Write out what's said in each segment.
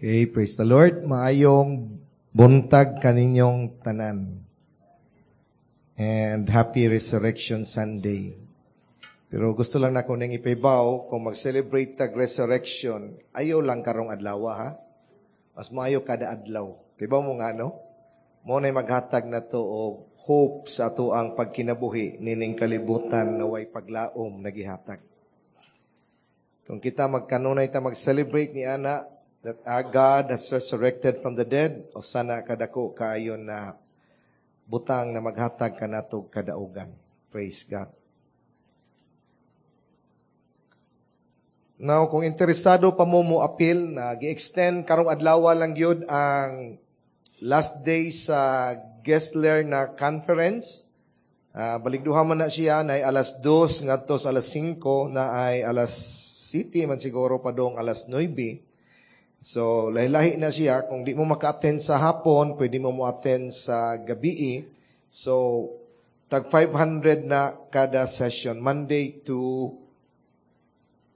Okay, praise the Lord. Maayong buntag kaninyong tanan. And happy Resurrection Sunday. Pero gusto lang nako ning ipahibaw, kung mag-celebrate tag resurrection, ayaw lang karong adlaw, ha. Mas maayo kada adlaw. Kibaw mo nga, no? Mao nay maghatag na to og hope sa atoang pagkinabuhi nining kalibutan na way paglaom na gihatag. Kung kita magkanunay ta mag-celebrate ni ana that our God has resurrected from the dead, o sana kadako kaayo na butang na maghatag kanatog kadaugan. Praise God. Now, kung interesado pa mo mo appeal na gi-extend karong adlaw lang gyud ang last day sa Gessler na conference. Baligduha man na siya na ay alas 2 ngadto sa alas 5 na ay alas City man siguro padong alas 9. So, lahi-lahi na siya. Kung di mo maka-attend sa hapon, pwede mo mo-attend sa gabi. So, tag 500 na kada session, Monday to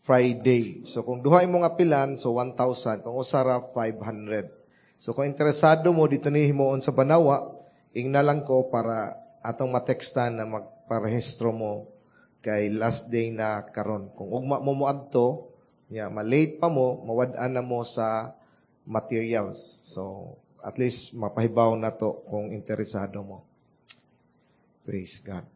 Friday. So, kung duha imong apilan, so 1,000. Kung usara, 500. So, kung interesado mo, dito ni himuon sa Banawa, ingna lang ko para atong matekstan na magparehistro mo kay last day na karon. Kung ugma mo moadto, ya, malate pa mo, mawad-an na mo sa materials. So, at least mapahibaw na to kung interesado mo. Praise God.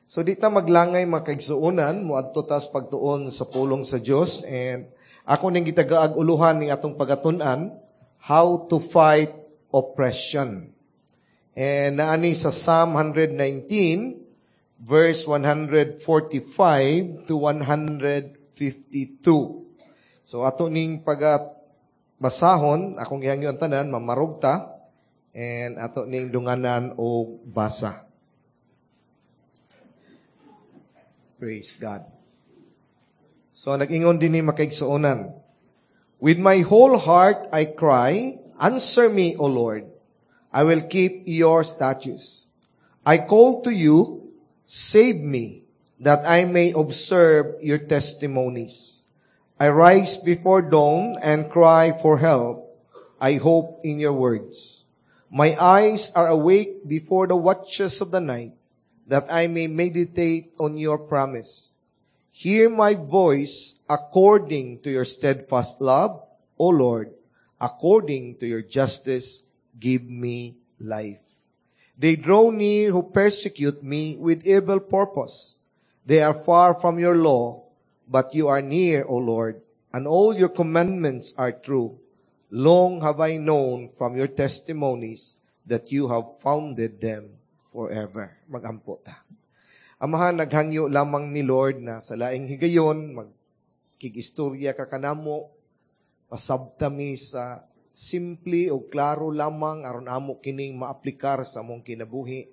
So, di ta maglangay makaigsuonan, moadto tas pagtuon sa pulong sa Dios, and ako ning gitagaag uluhan ning atong pagatun-an, how to fight oppression. And naani sa Psalm 119, verse 145 to 152. So ato ning pagatbasahon, akong gihangyo ang tanan, mamarog ta, and ato ning dunganan og basa. Praise God. So nag-ingon din ni makaigsuonan, "With my whole heart I cry, answer me, O Lord. I will keep your statutes. I call to you, save me, that I may observe your testimonies. I rise before dawn and cry for help. I hope in your words. My eyes are awake before the watches of the night, that I may meditate on your promise. Hear my voice according to your steadfast love, O Lord, according to your justice, give me life. They draw near who persecute me with evil purpose. They are far from your law, but you are near, O Lord, and all your commandments are true. Long have I known from your testimonies that you have founded them forever." Magampo ta. Amahan, naghangyo lamang ni Lord na sa laing higayon, magkig-istorya ka kanamo, pasabtami sa simple o klaro lamang aron amo kining maaplikar sa among kinabuhi.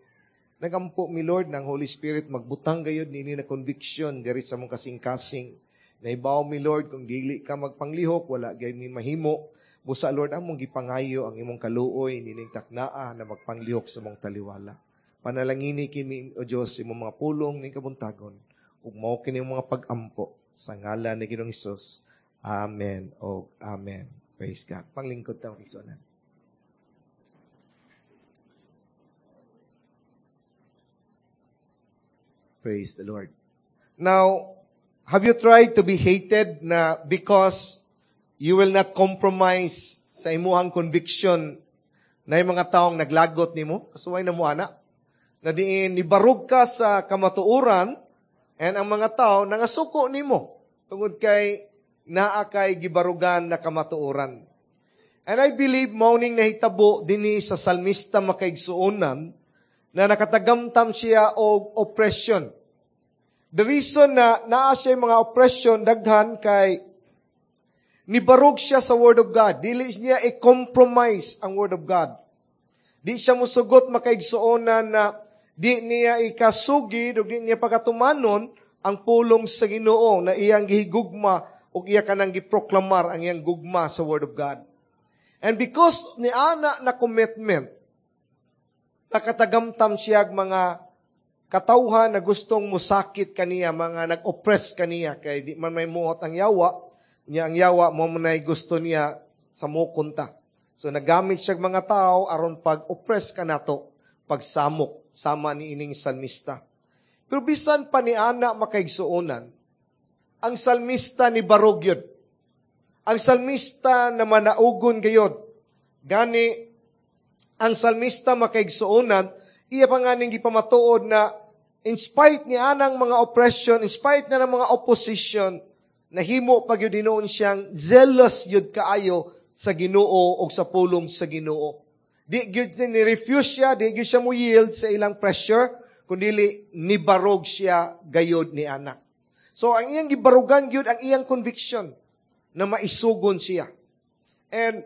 Nagampo mi Lord ng Holy Spirit magbutang gayud nini na conviction diri sa among kasing-kasing. Naibaw mi Lord kung dili ka magpanglihok, wala gayud mi mahimo. Busa Lord among gipangayo ang imong kaluoy nining taknaa na magpanglihok sa among taliwala. Panalangini kini o Dios imong mga pulong ning kabuntagon ug mao kini mga pag-ampo sa ngalan ni Ginoong Hesus. Amen o amen. Praise God. Panglingkod ta mga. Praise the Lord. Now, have you tried to be hated na because you will not compromise sa imuhang conviction na yung mga taong naglagot nimo? Kasuway na mo, ana. Na diin, nibarog ka sa kamatuoran and ang mga tao nangasuko nimo tungod kay naa kay gibarugan na kamatuoran. And I believe mao ning nahitabo dinhi sa salmista makaigsuonan na nakatagamtam siya og oppression. The reason na naa siya mga oppression daghan kay nibarog siya sa Word of God. Dili niya i-compromise ang Word of God. Di siya musugot makaigsuonan na di niya ikasugid o di niya pagkatumanon ang pulong sa Ginoo na iyang gihigugma o iya kanang giproklamar ang iyang gugma sa Word of God. And because ni ana na commitment, nakatagamtam siya mga katawhan na gustong musakit kaniya, mga nag-oppress kaniya, kay di man may muot ang yawa, niya ang yawa mo manay gusto niya Samokon ta. So nagamit siya mga tao aron pag-oppress ka nato, pagsamok sama ni ining salmista. Pero bisan pa ni ana, makaigsuonan, ang salmista ni barog yun. Ang salmista na manaugon gayod. Gani, ang salmista, makaigsuonan, iya pa nga ning gipamatuod na in spite ni anang mga oppression, in spite na ng mga opposition, nahimo pa gyud hinuon siyang zealous yun kaayo sa Ginoo o sa pulong sa Ginoo. Di gyud ni refuse siya, di gyud siya mo yield sa ilang pressure, kundi nibarog siya gayod ni ana. So ang iyang gibarugan gyud ang iyang conviction na maisugon siya. And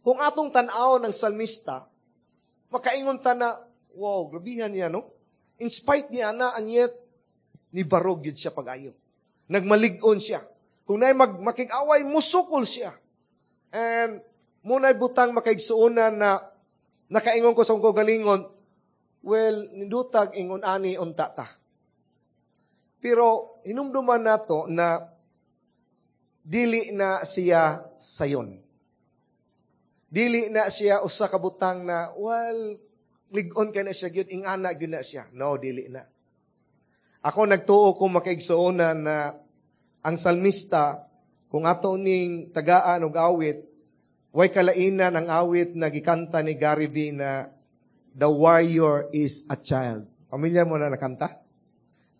kung atong tan-aw ng salmista, makaingon ta na, "Wow, grabihan niya, no?" In spite niya na, and yet, nibarog yun siya pag-ayo. Nagmalig-on siya. Kung naay makig-away, musukol siya. And muna'y butang, makaigsuonan, na nakaingon ko sa akong galingon, well, nindutag ingon ani unta ta. Pero hinumduman nato na dili na siya sayon. Dili na siya usa ka butang na, well, lig-on kay na siya gyud, ingana gyud na siya. No, dili na. Ako nagtuo ko, makaigsuonan, na ang salmista, kung ato ning tagaan og awit, way kalainan ang awit na gikanta ni Gary V na "The Warrior is a Child." Pamilyar mo na nakanta?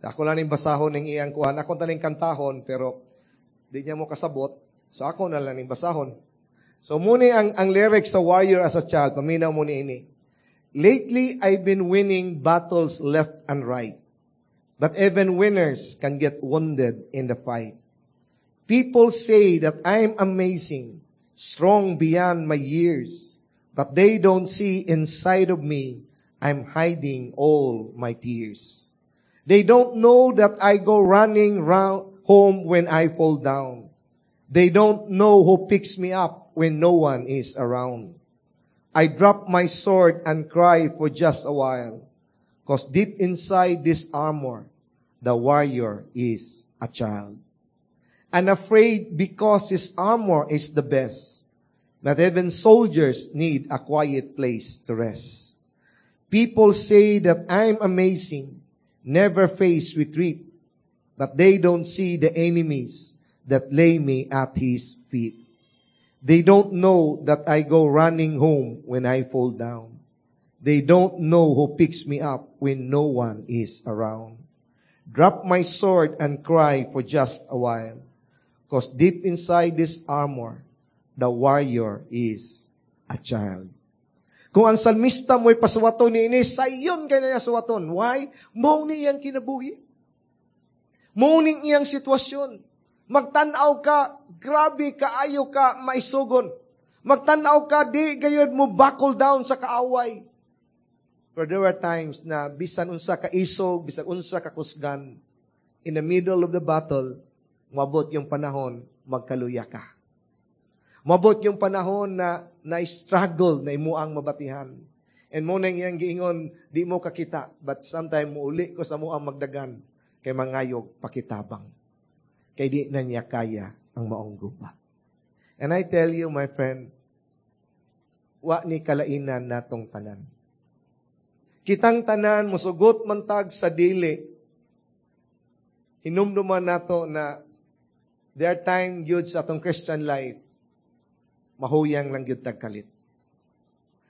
Ako lang ning basahon ning iyang kuan. Ako ta ning kantahon, pero di niya mo kasabot. So ako na lang ning basahon. So muni ang lyrics sa "Warrior as a Child", paminaw mo ni ini. "Lately, I've been winning battles left and right. But even winners can get wounded in the fight. People say that I'm amazing, strong beyond my years. But they don't see inside of me, I'm hiding all my tears. They don't know that I go running round home when I fall down. They don't know who picks me up when no one is around. I drop my sword and cry for just a while. 'Cause deep inside this armor, the warrior is a child. Unafraid because his armor is the best. But even soldiers need a quiet place to rest. People say that I'm amazing, never face retreat. But they don't see the enemies that lay me at his feet. They don't know that I go running home when I fall down. They don't know who picks me up when no one is around. Drop my sword and cry for just a while. 'Cause deep inside this armor, the warrior is a child." Kung ang salmista mo'y pasuwaton ni ini, sayon kay niya suwaton. Why? Mao ni iyang kinabuhi. Mao ni iyang sitwasyon. Magtanaw ka, grabe kaayo ka maisugon. Magtanaw ka, di gayod mo buckle down sa kaaway. Pero there were times na bisan unsa ka isog, bisan unsa ka kusgan, in the middle of the battle, mabot yung panahon, magkaluya ka. Mabot yung panahon na na-struggle na imo ang mabatihan. And mo nang iyang giingon, "Di mo kakita, but sometime muuli ko sa mo ang magdagan, kay mangayog pakitabang." Kay di na niya kaya ang maong gubat. And I tell you, my friend, wa ni kalainan natong tanan. Kitang tanan, musugot man tag sa dili, hinumduman nato na there are time gyud sa atong Christian life, mahuyang lang gyud tag kalit.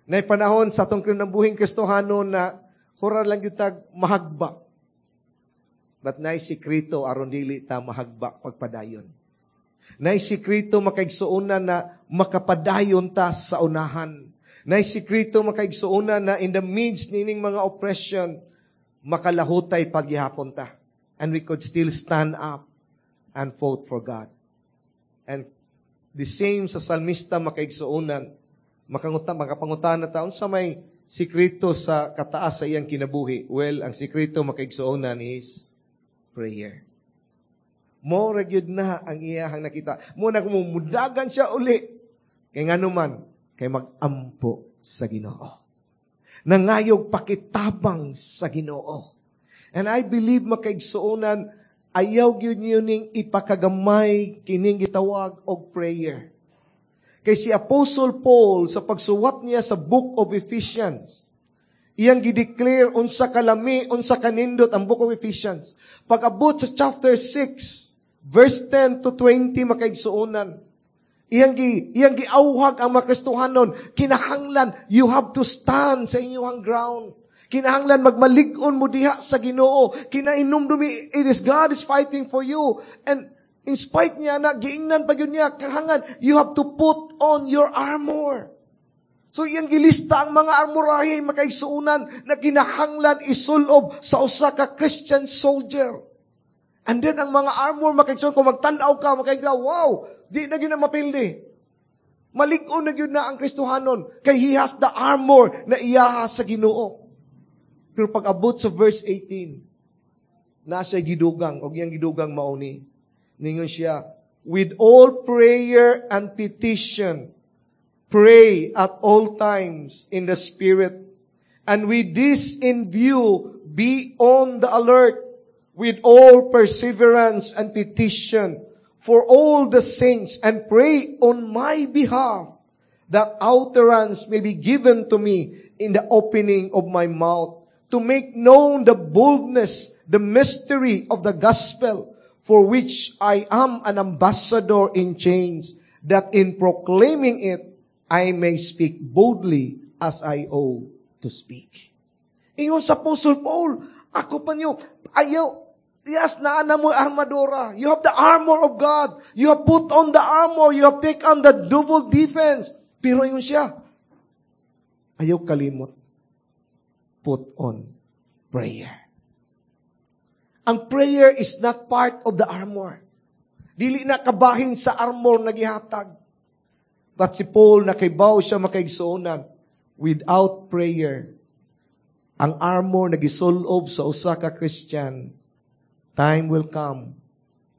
Nay panahon sa atong kinabuhing Kristohano na hura lang gyud tag mahagba. But nay sikreto aron dili ta mahagba pagpadayon. Nay sikreto, makaigsuonan, na makapadayon ta sa unahan. Nay sikreto, makaigsuonan, na in the midst nining mga oppression, makalahutay pagyahapon ta. And we could still stand up and fought for God. And the same sa salmista, makaigsuonan, makapangutana ta, unsa may sikreto sa kataas sa iyang kinabuhi? Well, ang sikreto, makaigsuonan, is prayer. Mo ra gyud na ang iyahang nakita. Mo na mudagan siya uli. Kay ngano man, kay mag-ampo sa Ginoo. Nangayog pakitabang sa Ginoo. And I believe, makaigsuonan, ayaw gyud niyo ning ipakagamay kining gitawag og prayer. Kay si Apostle Paul, sa pagsuwat niya sa Book of Ephesians, iyang gideclare unsa kalami, unsa kanindot ang Book of Ephesians. Pag-abot sa chapter 6, verse 10 to 20, makaigsuonan, iyang giauhag ang mga Kristohanon, kinahanglan, you have to stand sa inyong ground. Kinahanglan magmalig-on mo diha sa Ginoo. Kinainumdumi, it is God is fighting for you. And in spite niya na, giingnan pa gyud niya, kahangan, you have to put on your armor. So iyang gilista ang mga armorahe, makaigsuonan, na kinahanglan isulob sa usa ka Christian soldier. And then ang mga armor, makaigsuonan, kung magtan-aw ka, makaigla, wow, di na gyud na mapildi. Malig-on na gyud na ang Kristohanon kay he has the armor na iyaha sa Ginoo. Pero pag abot sa verse 18, na siya gidugang, og iyang gidugang mauni. Ningon siya, "With all prayer and petition, pray at all times in the Spirit. And with this in view, be on the alert with all perseverance and petition for all the saints and pray on my behalf that utterance may be given to me in the opening of my mouth to make known the boldness, the mystery of the gospel, for which I am an ambassador in chains, that in proclaiming it, I may speak boldly as I ought to speak." Ingon sa Apostle Paul, ako pa niyo, ayaw, yes, naa na mo armadura. You have the armor of God. You have put on the armor. You have taken on the double defense. Pero ingon siya, ayaw kalimot. Put on prayer. Ang prayer is not part of the armor. Dili na kabahin sa armor na gihatag. But si Paul, nakaibaw siya, makaigsuonan, without prayer, ang armor na gisulob sa usa ka Christian, time will come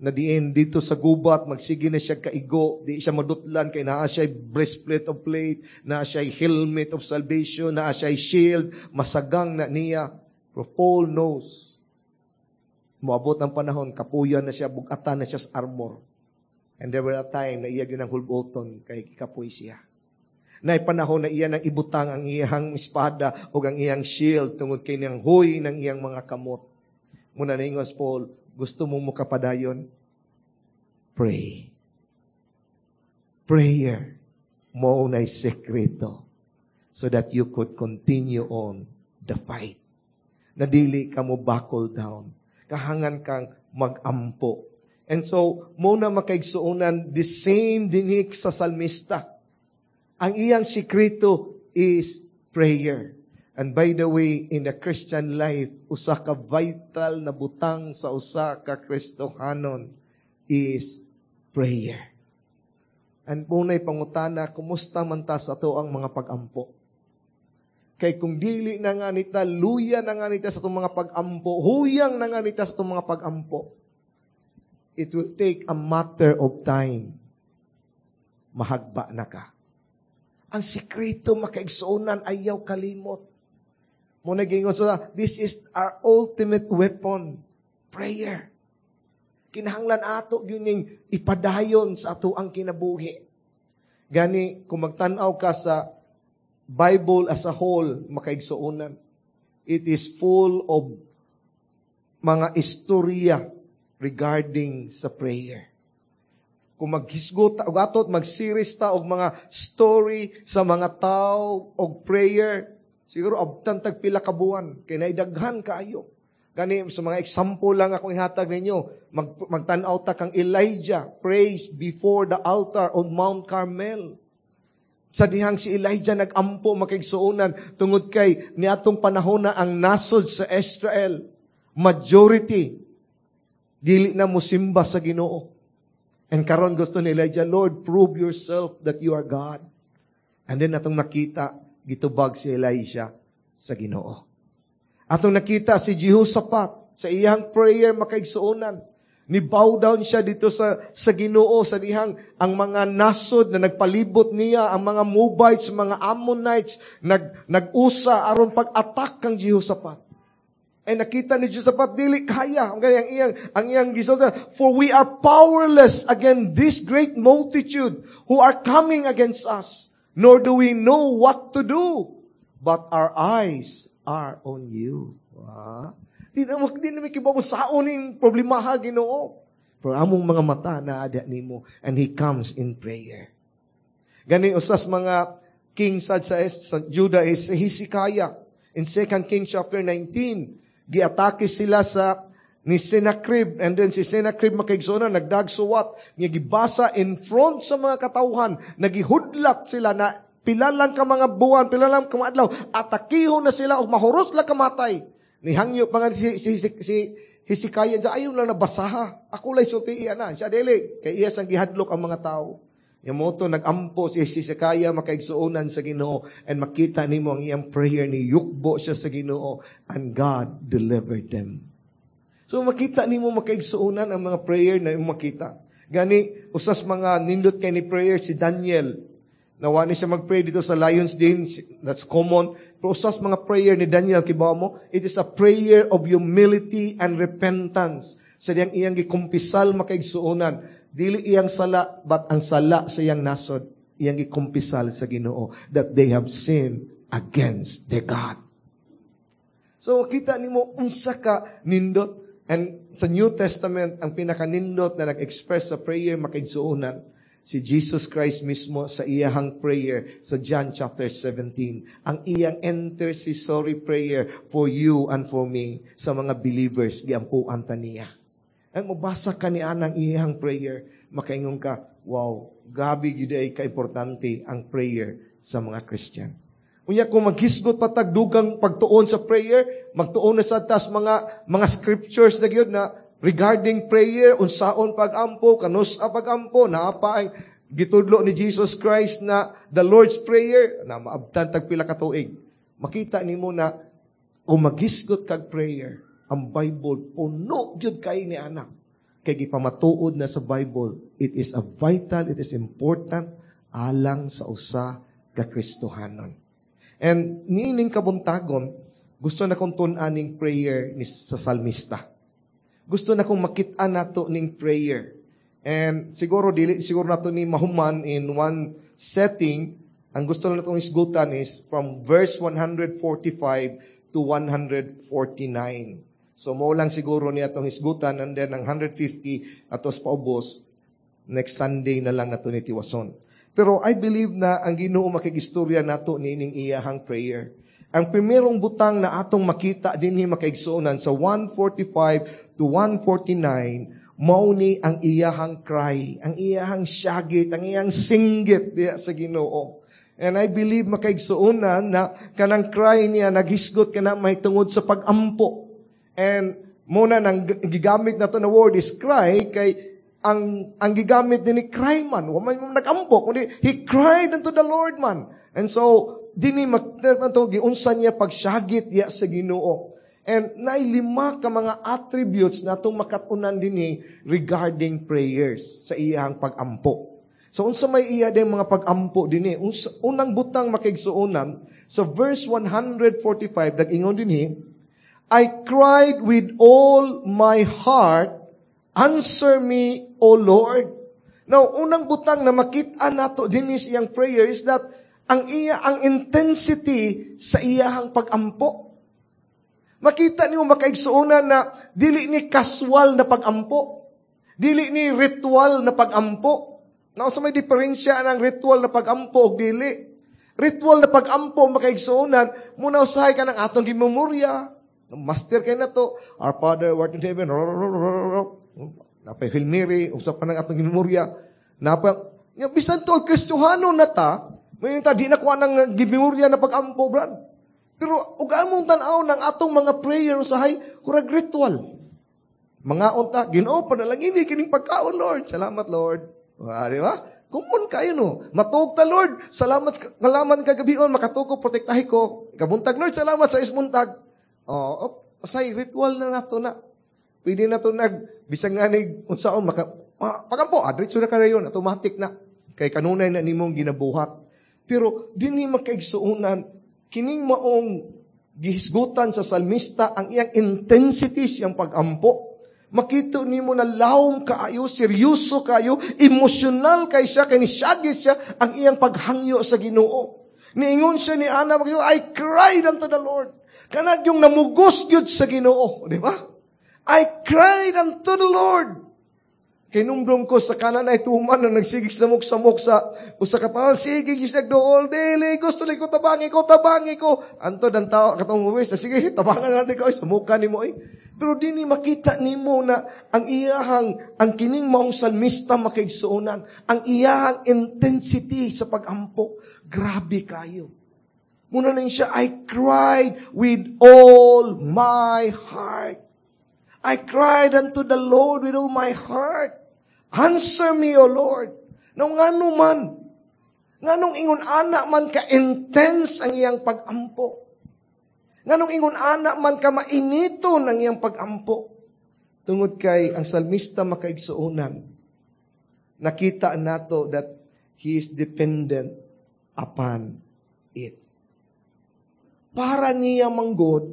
na diin dito sa gubat, magsige na siya kaigo, di siya madutlan kay naa siya breastplate of faith, naa siya helmet of salvation, naa siya shield, masagang na niya. Pero Paul knows, moabot ang panahon, kapuyan na siya, bugatan na siya sa armor. And there were a time na iya gyud ang hulboton kay kapoy siya. Na panahon na iya nang ibutang ang iyang espada o ang iyang shield tungod kay nang huy ng iyang mga kamot. Muna ningon si Paul, gusto mong mukapadayon? Pray. Prayer mo na'y sekreto so that you could continue on the fight. Na dili ka mo buckle down. Kahangan kang magampo. And so, mo na makaigsuonan, the same dinik sa salmista. Ang iyang sikreto is prayer. And by the way, in the Christian life, usa ka vital na butang sa usa ka Kristohanon is prayer. And muna'y pangutana, kumusta man ta sa ato ang mga pag-ampo? Kay kung dili na nga nita, luya na nga nita sa itong mga pag-ampo, huyang na nga nita sa itong mga pag-ampo, it will take a matter of time. Mahagba na ka. Ang sikreto, makaigsuonan, ayaw kalimot. Mo nagingon so, this is our ultimate weapon, prayer. Kinahanglan ato yun yung ipadayon sa ato ang kinabuhi. Gani, kung magtan-aw ka sa Bible as a whole, makaigsuonan, it is full of mga istorya regarding sa prayer. Kung maghisgot og atot mag-series ta og mga story sa mga tao og prayer, siguro abtan tag pila ka buwan kay naidaghan kaayo. Gani sa mga example lang akong ihatag ninyo, magtan-aw ta kang Elijah prays before the altar on Mount Carmel. Sa dihang si Elijah nagampo, makaigsuonan, tungod kay niatong panahon na ang nasod sa Israel, majority dili na musimba sa Ginoo. And karon gusto ni Elijah, "Lord, prove yourself that you are God." And then atong nakita, gitubag si Elijah sa Ginoo. Atong nakita si Jehoshaphat sa iyang prayer, makaigsuonan. Ni bow down siya dito sa Ginoo sa dihang ang mga nasod na nagpalibot niya, ang mga Moabites, mga Ammonites, nag-usa aron pag-attack kang Jehoshaphat. Ay nakita ni Josaphat, dili kaya. Ang iyang gisulti, "For we are powerless against this great multitude who are coming against us, nor do we know what to do, but our eyes are on you." Ah. Di na mi kibaw kung saon ning problemaha, Ginoo. Pero among mga mata naa nimo, and he comes in prayer. Gani usas mga king sa Judah is si Hezekiah. In 2 Kings chapter 19, giatake sila sa ni Sennacherib, and then si Sennacherib, makaigsoona, nagdagsuwat nga gibasa in front sa mga katawhan, nagihudlat sila na pila lang ka mga buwan, pila lang ka mga adlaw, atakihon na sila og mahurot lang kamatay. Nihangyo pa nga si Hezekiah siya, "Ayaw lang nabasaha. Ako lay sulti na." Siya dili kay iya sang gihadlok ang mga tao. Yung mo to, nagampo si Hezekiah, makaigsuonan, sa Ginoo, and makita nimo ang iyang prayer ni yukbo siya sa Ginoo and God delivered them. So makita nimo, makaigsuonan, ang mga prayer na imong makita. Gani usas mga nindot kay ni prayer si Daniel. Nawa ni siya mag-pray dito sa Lions Den, that's common. Pero usas mga prayer ni Daniel, kibaw mo, it is a prayer of humility and repentance. Sa diyang iyang gikumpisal, makaigsuonan, dili iyang sala, but ang sala sa iyang nasod, iyang gikumpisal sa Ginoo that they have sinned against their God. So kita nimo unsa ka nindot. And sa New Testament, ang pinakanindot na nag-express sa prayer, makaigsuonan, si Jesus Christ mismo sa iyahang prayer sa John chapter 17. Ang iyang intercessory prayer for you and for me sa mga believers, giampuan ta niya. Ang mabasa ka ni anang iyang prayer, makaingon ka, "Wow, gabi gyud ay ka-importante ang prayer sa mga Christian." Unya kung maghisgot pa tag dugang pagtuon sa prayer, magtuon na sa tas mga scriptures na gyud na regarding prayer, unsaon pagampo, kanus-a pagampo, naa pa ang gitudlo ni Jesus Christ na the Lord's Prayer, na maabtan tag pila ka tuig. Makita nimo na kung maghisgot kag prayer, ang Bible puno gyud kay ni ana. Kay gipamatuod na sa Bible, it is a vital, it is important alang sa usa ka Kristohanon. And niining kabuntagon, gusto na kong tun-an ning prayer ni sa salmista. Gusto na kong makita nato ning prayer. And siguro dili siguro nato ni mahuman in one setting. Ang gusto na natong hisgutan is from verse 145 to 149. So mo lang siguro niya atong hisgutan, and then ang 150 atos paubos next Sunday na lang nato ni tiwason. Pero I believe na ang Ginoo makigistorya nato niining iyahang prayer. Ang primerong butang na atong makita dinhi, makaigsuonan, sa 145 to 149, mao ni ang iyahang cry, ang iyahang syagit, ang iyang singgit diya sa Ginoo. And I believe, makaigsuonan, na kanang cry niya naghisgot kana mahitungod sa pagampo. And muna nang gigamit nato na word is cry kay ang gigamit din ni cry man, wa man nagampo kundi he cried unto the Lord man. And so dinhi makita giunsa niya pagsyagit diya sa Ginoo. And naay lima ka mga attributes na atong makatunan dinhi regarding prayers sa iyang pagampo. So unsa may iya din mga pagampo dinhi? Unsa, unang butang, makaigsuonan, sa verse 145 nag-ingon dinhi, "I cried with all my heart, answer me, O Lord." Now, unang butang na makita nato dinhi sa iyang prayer is that ang intensity sa iyahang pagampo. Makita niyo, makaigsuonan, na dili ni casual na pagampo. Dili ni ritual na pagampo. Now, sa may diferensya ng ritual na pagampo o dili. Ritual na pagampo, makaigsuonan, muna usahay ka ng atong gimemorya. Master kay na to. "Our Father, who art in heaven." Napay Hail Mary, usap pa ng atong gimemorya. Napa, bisan to, Kristohano na ta, may ta, di na kuha ng gimemorya na pagampo, brad. Pero, ugaan mong tanaw ng atong mga prayer usahay, hurag ritual. Mga unta, "Ginoo, panalangin kining pagkaon, Lord. Salamat, Lord." Ah, di ba? Common kayo, no? Matug ta, "Lord, salamat, ngalaman kagabion, makatug ko, protektahi ko. Kabuntag, Lord, salamat sa ismuntag." Oh, say ritual na nato na. Pwede na to nag, bisag nga ni, unsaon, maka, pagampo, diretso na kayo, automatic na. Kay kanunay na nimong ginabuhat. Pero, dinhi, makaigsuonan, kining maong Gihisgutan sa salmista ang iyang intensity siyang pagampo. Makita nimo na lawom kaayo, seryoso kayo, emosyonal kay siya, kay nisagit siya ang iyang paghangyo sa Ginoo. Niingon siya ni ana, "I cried unto the Lord." Kanang yung namugos gyud sa Ginoo, di ba? "I cried unto the Lord." Kay numdum ko sa Canaanite woman na nagsigig samok-samok sa usa ka tawo, sige gyud nagduol, "Dili gusto ko, tabangi ko, tabangi ko." Antod ang tao katong uwis, "Sige, tabangan natin ko, samukan nimo eh." Pero dinhi makita nimo na ang iyahang ang kining maong salmista, makaigsuonan, ang iyahang intensity sa pagampo, grabe kayo. Muna na siya, "I cried with all my heart. I cried unto the Lord with all my heart. Answer me, O Lord." Now, ngano man? Nganong ingon ana man ka intense ang iyang pagampo? Nganong ingon ana man ka mainiton ang iyang pagampo? Tungod kay ang salmista, makaigsuonan, nakita nato that he is dependent upon it. Para niya manggod,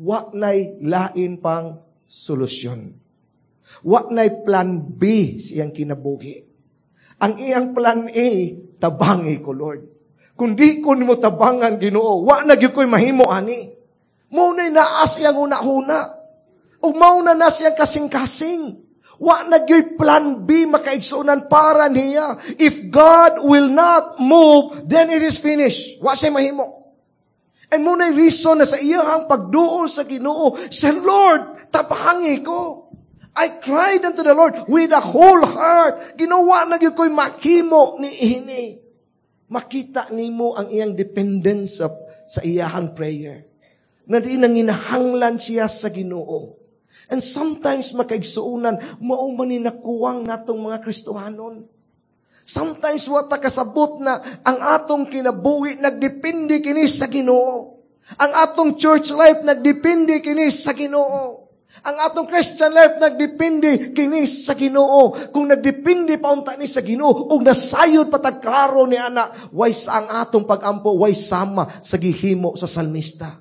wa nay lain pang solusyon. Wa nay plan B sa iyang kinabuhi. Ang iyang plan A, tabangi ko, Lord. Kung di ko nimo tabangan, Ginoo, wa na gyud ko'y mahimo ani. Mao na'y naa sa iyang huna-huna. O mao na na siyang kasing-kasing. Wa na gyud plan B, makaigsuonan, para niya. If God will not move, then it is finished. Wa siya mahimo. And mao na reason na sa iyang pagduol sa Ginoo, sa "Lord, tabangi ko. I cried unto the Lord with a whole heart. Ginoo, wa na gyud ko'y mahimo ni ini." Makita nimo ang iyang dependence sa iyahang prayer. Na di nanginahanglan siya sa Ginoo. And sometimes, makaigsuonan, mao man ni nakuwang natong mga Kristohanon. Sometimes wa ta kasabot na ang atong kinabuhi nagdepende kini sa Ginoo. Ang atong church life nagdepende kini sa Ginoo. Ang atong Christian life nagdepende kini sa Ginoo. Kung nagdepende pa unta ni sa Ginoo ug nasayod pa tag klaro ni ana, way sa ang atong pagampo way sama sa gihimo sa salmista.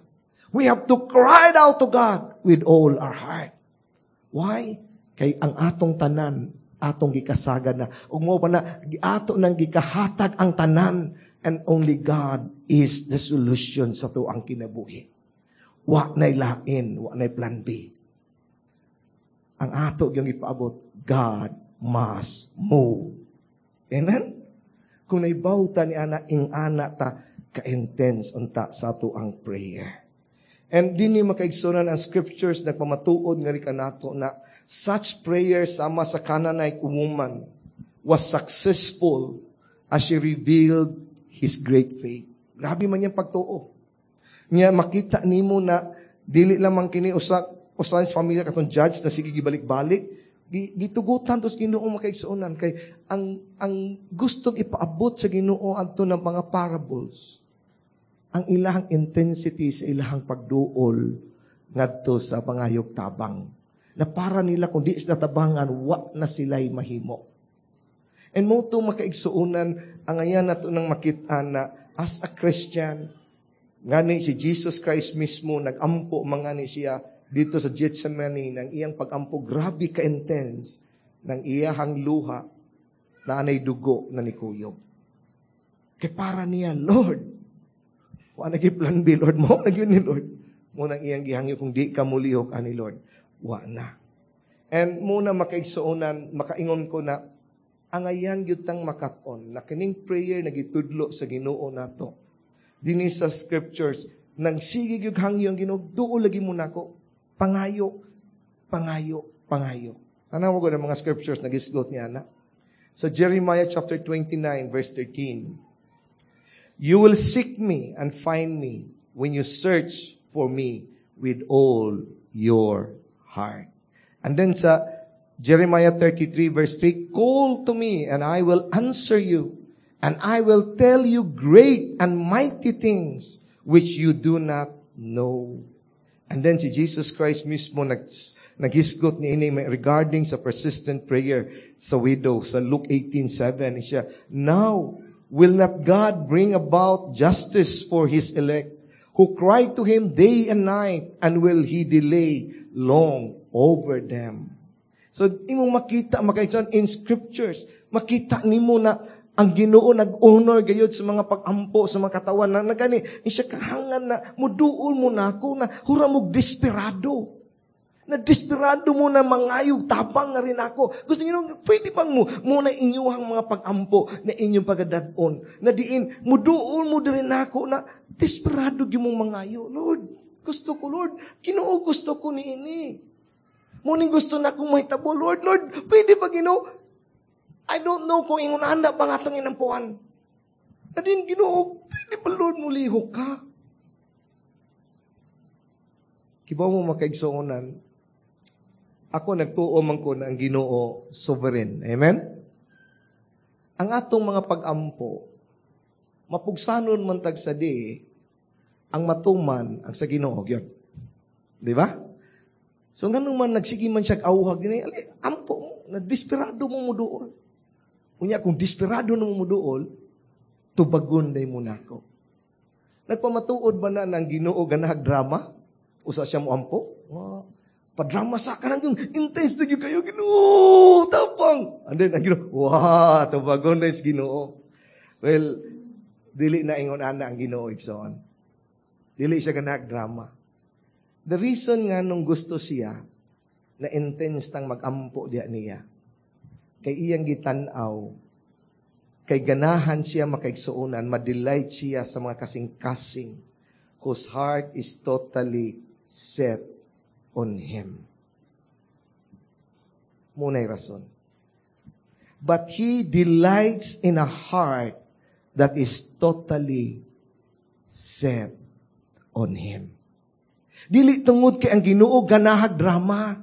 We have to cry out to God with all our heart. Why? Kay ang atong tanan atong gikasagad na. Ug mao pa na ato nang gikahatag ang tanan and only God is the solution sa atuang kinabuhi. Wa nay lain, wa nay plan B. Ang ato yung ipaabot, God must move. Amen? Kung naibaw ta ni ana, ing ana ta ka-intense unta sa ato ang prayer. And dinhi, makaigsuonan, ang scriptures nagpamatuod nga rin kanato na such prayer sama sa Canaanite woman was successful as she revealed his great faith. Grabe man yung pagtuo. Nya makita nimo na dili lamang kini usa usa sa pamilya katong judge na sige gibalik-balik, gitugutan tos Ginoo, makaigsuonan, kay ang gustong ipaabot sa Ginoo adto ng mga parables, ang ilahang intensity sa ilahang pagduol ngadto sa pangayog tabang na para nila, kung di sila tabangan, wa na sila'y mahimo. And mao to, makaigsuonan, ang ayan nato nang makita na as a Christian, ngani si Jesus Christ mismo nagampo mga ni siya dito sa Gethsemane, ng iyang pagampo grabe ka-intense, ng iyahang luha na anay dugo na nikuyog. Kay para niya, "Lord, wa na plan B, Lord, mao na gyud ni, Lord." Mao nang iyang gihangyo, "Kung di ka mulihok ani, Lord, wa na." And muna, makaigsuonan, makaingon ko na ang ayan gyud tang makat-on na kining prayer na gitudlo sa Ginoo nato dinhi sa scriptures, nagsige gyud hangyo ang Ginoo, "Duol lagi mo nako. Pangayo, pangayo, pangayo." Tanawa ko ng mga scriptures na gisgot niya na. Sa Jeremiah chapter 29 verse 13, "You will seek me and find me when you search for me with all your heart." And then sa Jeremiah 33 verse 3, "Call to me and I will answer you and I will tell you great and mighty things which you do not know." And then si Jesus Christ mismo naghisgot ni ini regarding sa persistent prayer sa widow sa Luke 18:7 siya, "Now, will not God bring about justice for His elect Who cry to Him day and night, and will He delay long over them?" So, imong makita, makaigsoon, in scriptures, makita nimo na ang Ginoo nag-honor gayud sa mga pag-ampo sa mga katawan na nagani siya kahangan na muduol mo na ako na hura mo desperado. Na desperado mo na mangayog tabang nga rin ako. Gusto niyo, pwede bang mo na inyuhang mga pag-ampo na inyong pagadadon? Na diin, muduol mo din ako na desperado gyud mong mangayo. Lord, gusto ko, Lord. Ginoo, gusto ko ni ini. Muning gusto na akong mahitabo. Lord, Lord, pwede ba, Ginoo? I don't know kung ingon ana ba nga atong inampuan. Na din, Ginoo, pwede ba, Lord, mulihok ka? Kibaw mo, makaigsuonan, ako nagtuo man ko na ang Ginoo sovereign. Amen? Ang atong mga pag-ampo, mapugsanon man tag sa di, ang matuman ang sa Ginoo gyud. Di ba? So nganong man nagsige man siya awhag dinhi, ampo mo, na desperado mo muduol. Unya kung desperado na mo muduol, tubagon day mo nako. Nagpamatuod ba na ng Ginoo ganahag drama? Usa siya mo ampo? Oh, padrama sa kanang yung intense na kayo, Ginoo, tapang. And then ang Ginoo, wow, tubagon na is Ginoo. Well, dili na ingon ana ang Ginoo, igsoon. Dili siya ganahag drama. The reason nga nung gusto siya na intense tang magampo diya niya, kay iyang gitan-aw, kay ganahan siya makaigsuonan, madelight siya sa mga kasing-kasing whose heart is totally set on Him. Muna'y rason. But He delights in a heart that is totally set on Him. Dili tungod kay ang Ginoo ganahag drama.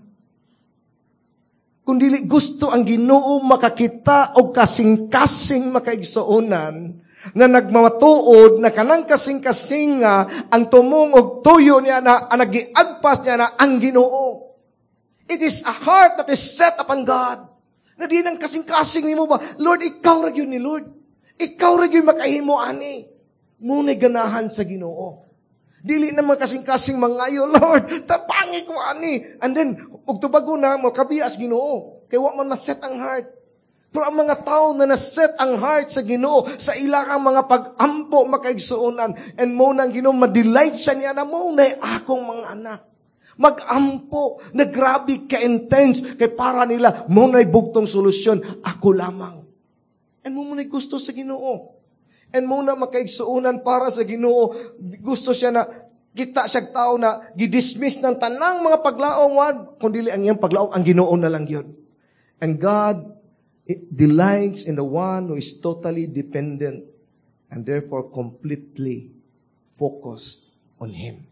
Kung dili gusto ang Ginoo makakita og kasing-kasing makaigsuonan na nagmamatuod na kanang kasing-kasing nga ang tumong og tuyo niya na ang nagiagpas niya na ang Ginoo. It is a heart that is set upon God. Na di nang kasing-kasing nimo ba, Lord, ikaw ra gyud ni Lord. Ikaw ra gyud makahimo ani. Muna'y ganahan sa Ginoo. Dili naman kasing-kasing mangayo, Lord, tabangi ko ani. And then, ug tubago na, makabias Ginoo. Kay wa man maset ang heart. Pero ang mga tao na naset ang heart sa Ginoo, sa ilang mga pag-ampo makaigsuonan, and mo nang Ginoo, madelight siya niya na mo na akong mga anak. Mag-ampo, na grabe ka-intense, kay para nila, mo na'y bugtong solusyon, ako lamang. And mo na'y gusto sa Ginoo. And muna makaigsuonan para sa Ginoo, gusto siya na kita siya tao na gidismiss ng tanang mga paglaom, kung dili ang iyang paglaom, ang Ginoo na lang yun. And God delights in the one who is totally dependent and therefore completely focused on Him.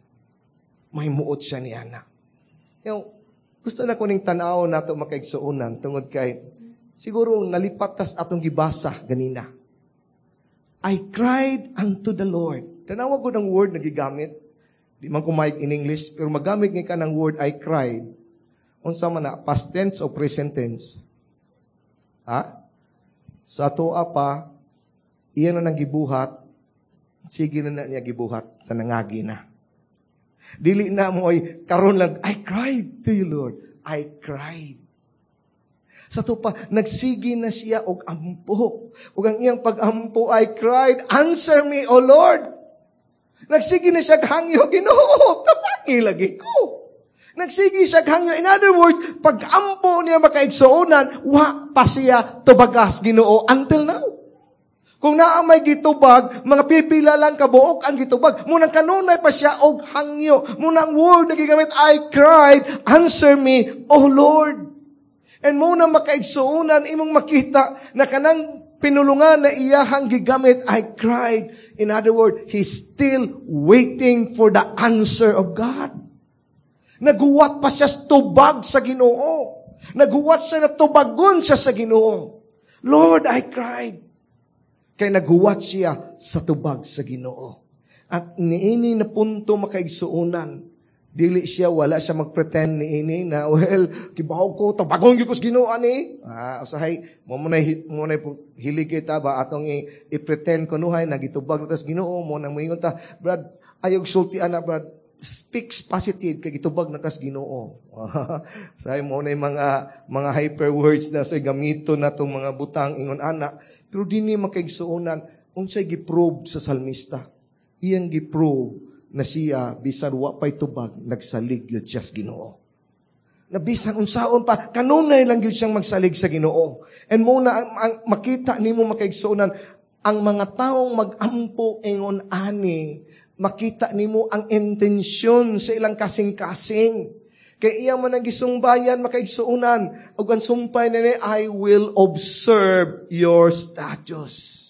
May muot siya niya na. You know, gusto na kuning tanaw nato makaigsuonan tungod kay siguro nalipat tas atong gibasa ganina. I cried unto the Lord. Tanawa ko ng word na gigamit. Di man ko mic in English, pero magamit nga ka ng word I cried. Unsa man na, past tense o present tense? Ha? Sa atoa pa, iya na nang gibuhat, sige na na niya gibuhat sa nangagi na. Dili na mo ay karon lang, I cried to you, Lord. I cried. Sa to pa, nagsige na siya og ampo. Ug ang iyang pag-ampo, I cried, answer me, O Lord. Nagsige na siya hangyo, Ginoo, tabangi lagi ko. Nagsige siya hangyo. In other words, pag-ampo niya makaigsuonan, wa pa siya tubagas, Ginoo, until now. Kung naa may gitubag, mga pipila lang kabuok ang gitubag. Munang kanunay pa siya og hangyo. Munang word na gigamit, I cried, answer me, O Lord. And muna makaigsuonan, imong makita na kanang pinulungan na iyahang gigamit, I cried. In other words, he's still waiting for the answer of God. Naguwat pa siya tubag sa Ginoo. Naguwat siya na tubagon siya sa Ginoo. Lord, I cried. Kay naguwat siya sa tubag sa Ginoo. At niini na punto makaigsuonan, dili siya, wala siya magpretend niini na, well, kibaw ko, tubagon gyud ko sa Ginoo ani. Usahay, mo mo na hilig kita ba atong i-pretend kunuhay na gitubag na tas Ginoo mo nang moingon ta, Brad, Ayaw sulti ana, brad. Speaks positive kay gitubag na kas Ginoo. Say mo na yung mga hyper words na say gamito na tong mga butang ingon ana. Pero dinhi, makaigsuonan, unsay gi-prove sa salmista? Iyang gi-prove na siya bisan wa pay tubag, nagsalig gyud siya sa Ginoo. Na bisan unsaon pa, kanunay lang gyud siyang magsalig sa Ginoo. And mo na ang makita nimo, makaigsuonan, ang mga taong mag-ampo ingon ani, makita nimo ang intensyon sa ilang kasing-kasing. Kay iya man ang gisumbayan, makaigsuonan, ug ang sumpay nini, "I will observe your statutes."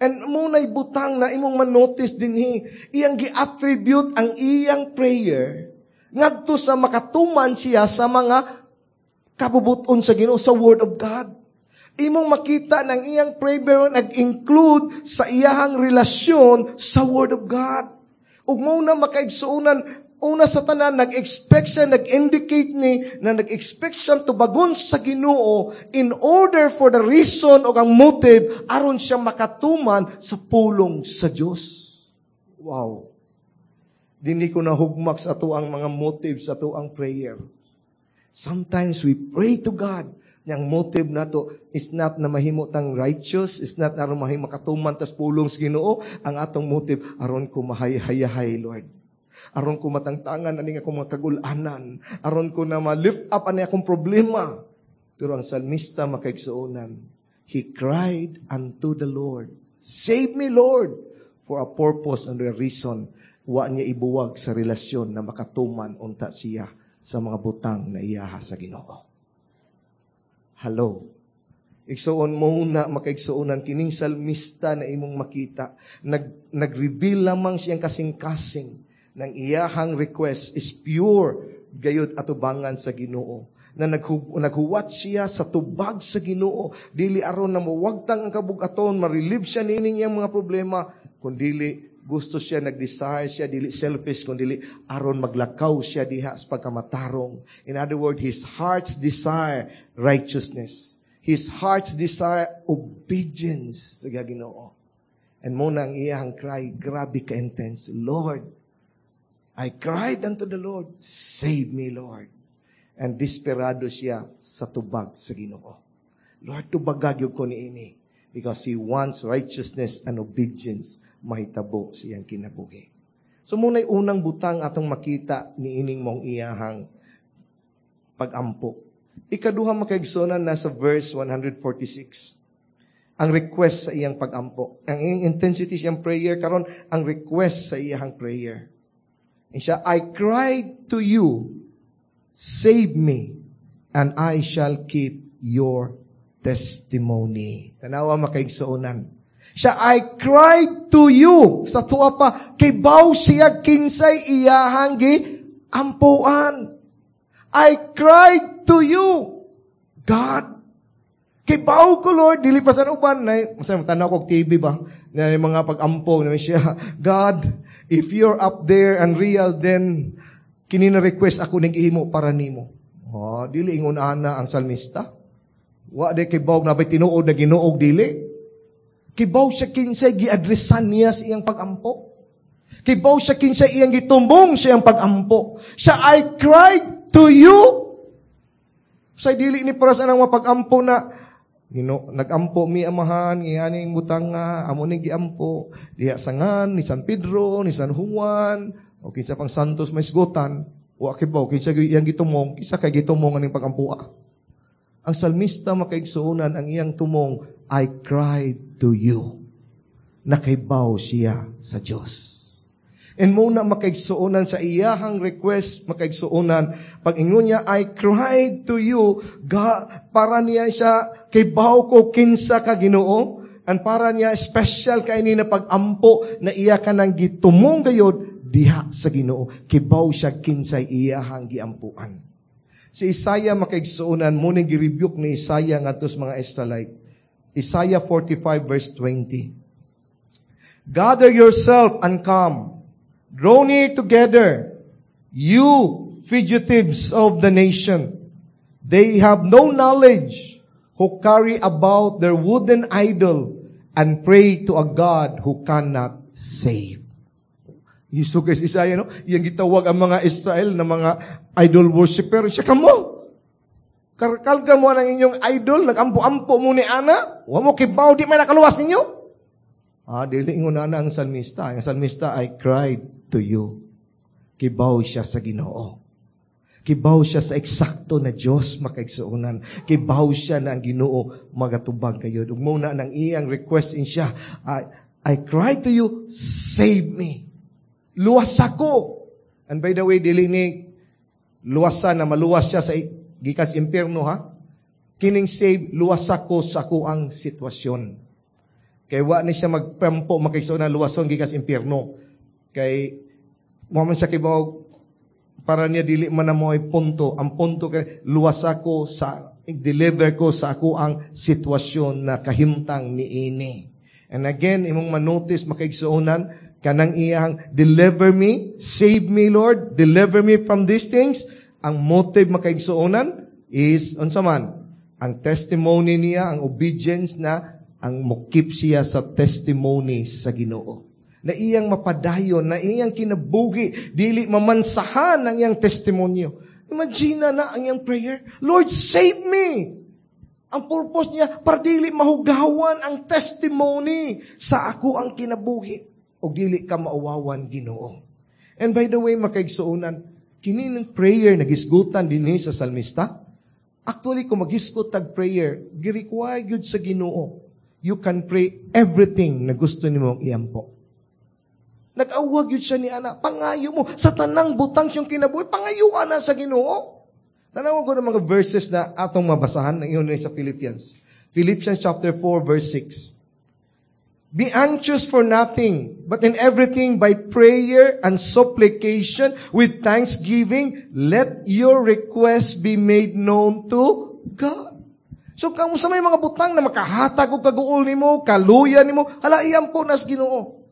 And muna'y butang na imong manotice dinhi, iyang gi-attribute ang iyang prayer ngadto sa makatuman siya sa mga kabubuton sa Ginoo, sa Word of God. Imong makita ng iyang prayer nag-include sa iyahang relasyon sa Word of God. Ug mo na, makaigsuonan, una sa tanan, nag-expect siya, nag-indicate ni, na nag-expect siya tubagon sa Ginoo in order for the reason o ang motive, aron siya makatuman sa pulong sa Dios. Wow. Dinhi ko na hugmak sa ato ang mga motives sa ato ang prayer. Sometimes we pray to God. Yang motive nato is not na mahimo tang righteous, is not aron mahimo makatuman tas pulong sa Ginoo. Ang atong motive, aron ko mahayhayahay, Lord. Aron ko matangtangan ani akong mga kagulanan. Aron ko na ma-lift up ani akong problema. Pero ang salmista, makaigsuonan, he cried unto the Lord, "Save me, Lord," for a purpose and a reason. Wa niya ibuwag sa relasyon na makatuman unta siya sa mga butang na iyaha sa Ginoo. Hello. Igsuon mo na, makaigsuonan, kining salmista na imong makita, nag-reveal lamang siyang kasing-kasing ng iyahang request is pure gayud atubangan sa Ginoo. Na naghuwat siya sa tubag sa Ginoo, dili aron na mawagtang ang kabugaton, ma-relieve siya nining iyang mga problema, kundili gusto siya, nag-desire siya, dili selfish, kundili aron maglakaw siya diha sa pagkamatarong. In other words, his heart's desire, righteousness. His heart's desire, obedience sa Ginoo. And mo na ang iyang cry, grabe ka-intense. "Lord, I cried unto the Lord, save me, Lord." And desperado siya sa tubag sa Ginoo. "Lord, tubaga gyud ko niini." Because he wants righteousness and obedience mahitabo sa iyang kinabuhi. So muna'y unang butang atong makita ni ining mong iyahang pagampo. Ikaduha, makaigsuonan, nasa verse 146. Ang request sa iyang pagampo. Ang iyang intensity sa iyang prayer karon, ang request sa iyang prayer. And siya, "I cried to you, save me, and I shall keep your testimony." Tanawa, makaigsuonan. Siya, "I cried to you." Sa tuwa pa, kibaw siya kinsay iyahang gi ampuan. "I cried to you, God." Kibaw ko, Lord, dili pa sa uban. Na, masa tanaw ko TV ba? Na yung mga pag-ampo na siya, "God, if you're up there and real, then kini na request ako ning gihimo para nimo." Oh, dili ingon ana ang salmista. Wa de kibaw na bay tinuod na Ginoo, dili. Kibaw siya kinsay giadresan niya sa iyang pag-ampo. Kibaw siya kinsay iyang gitumbong sa iyang pag-ampo. Siya, "I cried to you." Sa dili ni para sa nang mapag-ampo na Gino, nagampo mi Amahan, ngianing butang nga amo ning giampo diha sa ngan ni San Pedro, ni San Juan, o kinsa pang santos may sgutan, wa kibaw kinsa iyang gitumong, kinsa kay gitumong aning pagampoa. Ang salmista, makaigsuonan, ang iyang tumong, "I cried to you." Nakaibaw siya sa Diyos. And muna, makaigsuonan, sa iyahang request, makaigsuonan, pag ingon niya, "I cried to you, God," para niya siya, kibaw ko kinsa ka Ginoo, and para niya special kay ni na pag-ampo na iya ka nang gitumong gayod diha sa Ginoo. Kibaw siya kinsay iyahang giampuan. Si Isaiah, makaigsuonan, mo ning gi-rebuke ni Isaiah ngadto sa mga Israelite. Isaiah 45 verse 20. "Gather yourself and come. Draw near together, you fugitives of the nation. They have no knowledge, who carry about their wooden idol and pray to a God who cannot save." Iso kay si Isaiah, no? Iyang gitawag ang mga Israel na mga idol worshipper. Siya kamo. Karkalga mo ang inyong idol, nagampo-ampo mo ni ana. Wa mo kibaw, di may nakaluwas ninyo. Ah, dili ingon na ang salmista. Ang salmista, "I cried to you." Kibaw siya sa Ginoo. Kibaw siya sa eksakto na Diyos, makaigsuonan. Kibaw siya na ang Ginoo magatubag kayo. Ug mao na nang iyang request in siya, "I cry to you, save me." Luwas ako. And by the way, dili ni luwasan na maluwas siya sa gikan sa impyerno, ha. Kining save, luwas ako sa akuang sitwasyon. Kay wa ni siya magpampo, makaigsuonan, luwason gikan sa impyerno. Kay mo man siya kibaw, para niya dili man na mo ay punto. Ang punto kay luwas ako sa deliver ko sa ako ang sitwasyon na kahimtang ni ini. And again, imong manotice, makaigsuonan, kanang iyang "Deliver me, save me, Lord, deliver me from these things." Ang motive, makaigsuonan, is unsa man? Ang testimony niya, ang obedience na ang mokip siya sa testimony sa Ginoo. Na iyang mapadayon, na iyang kinabuhi, dili mamansahan ang iyang testimonyo. Imagine na ang iyang prayer, "Lord, save me." Ang purpose niya, para dili mahugawan ang testimony sa ako ang kinabuhi. O dili ka mauwawan, Ginoo. And by the way, makaigsuonan, kini ng prayer na gisgutan dinhi sa salmista, actually, kung magisgot tag prayer, gi-require gyud sa Ginoo. You can pray everything na gusto nimong iampo. Nag-awag yun siya ni ana. Pangayo mo. Sa tanang butang siyang kinabuhi, pangayuan na sa Ginoo. Tanawan ko ng mga verses na atong mabasahan ng iyon sa Philippians. Philippians chapter 4 verse 6. "Be anxious for nothing, but in everything by prayer and supplication with thanksgiving, let your requests be made known to God." So kung sa may mga butang na makahatag og kaguol nimo, kaluya nimo, hala, iampo nas Ginoo.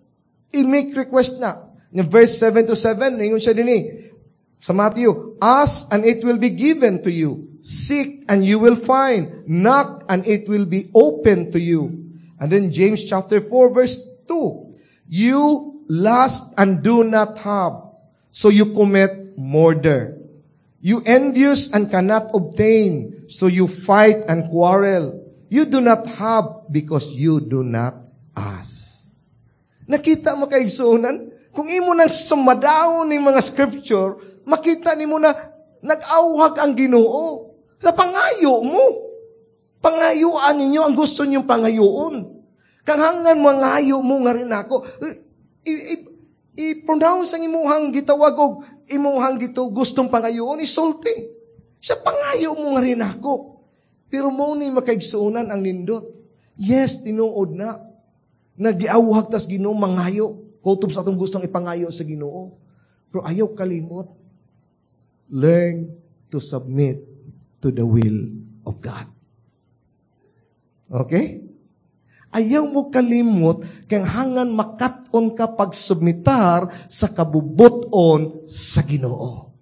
I-make request na. In verse 7 to 7, ingon siya dinhi sa Matthew, "Ask and it will be given to you. Seek and you will find. Knock and it will be open to you." And then James chapter 4 verse 2, "You lust and do not have, so you commit murder. You envious and cannot obtain, so you fight and quarrel. You do not have because you do not ask." Nakita mo, kaigsuonan? Kung imo nang sumadaon ni mga scripture, makita nimo na nag-awhag ang Ginoo. Sa pangayo mo. Pangayuan ninyo ang gusto ninyong pangayuon. Kanghangan mangayo mo nga rin ako. I-pronounce ang imuhang gitawag og imuhang gito gustong pangayuon, isulti. Sa pangayo mo nga rin ako. Pero mo ni, makaigsuonan, ang nindot. Yes, tinuod na. Nagiawhag tas Ginoo mangayo. Kutob sa atong gustong ipangayo sa Ginoo. Pero ayaw kalimot. Learn to submit to the will of God. Okay? Ayaw mo kalimot kay hangan makat-on ka pagsubmitar sa kabubuton sa Ginoo.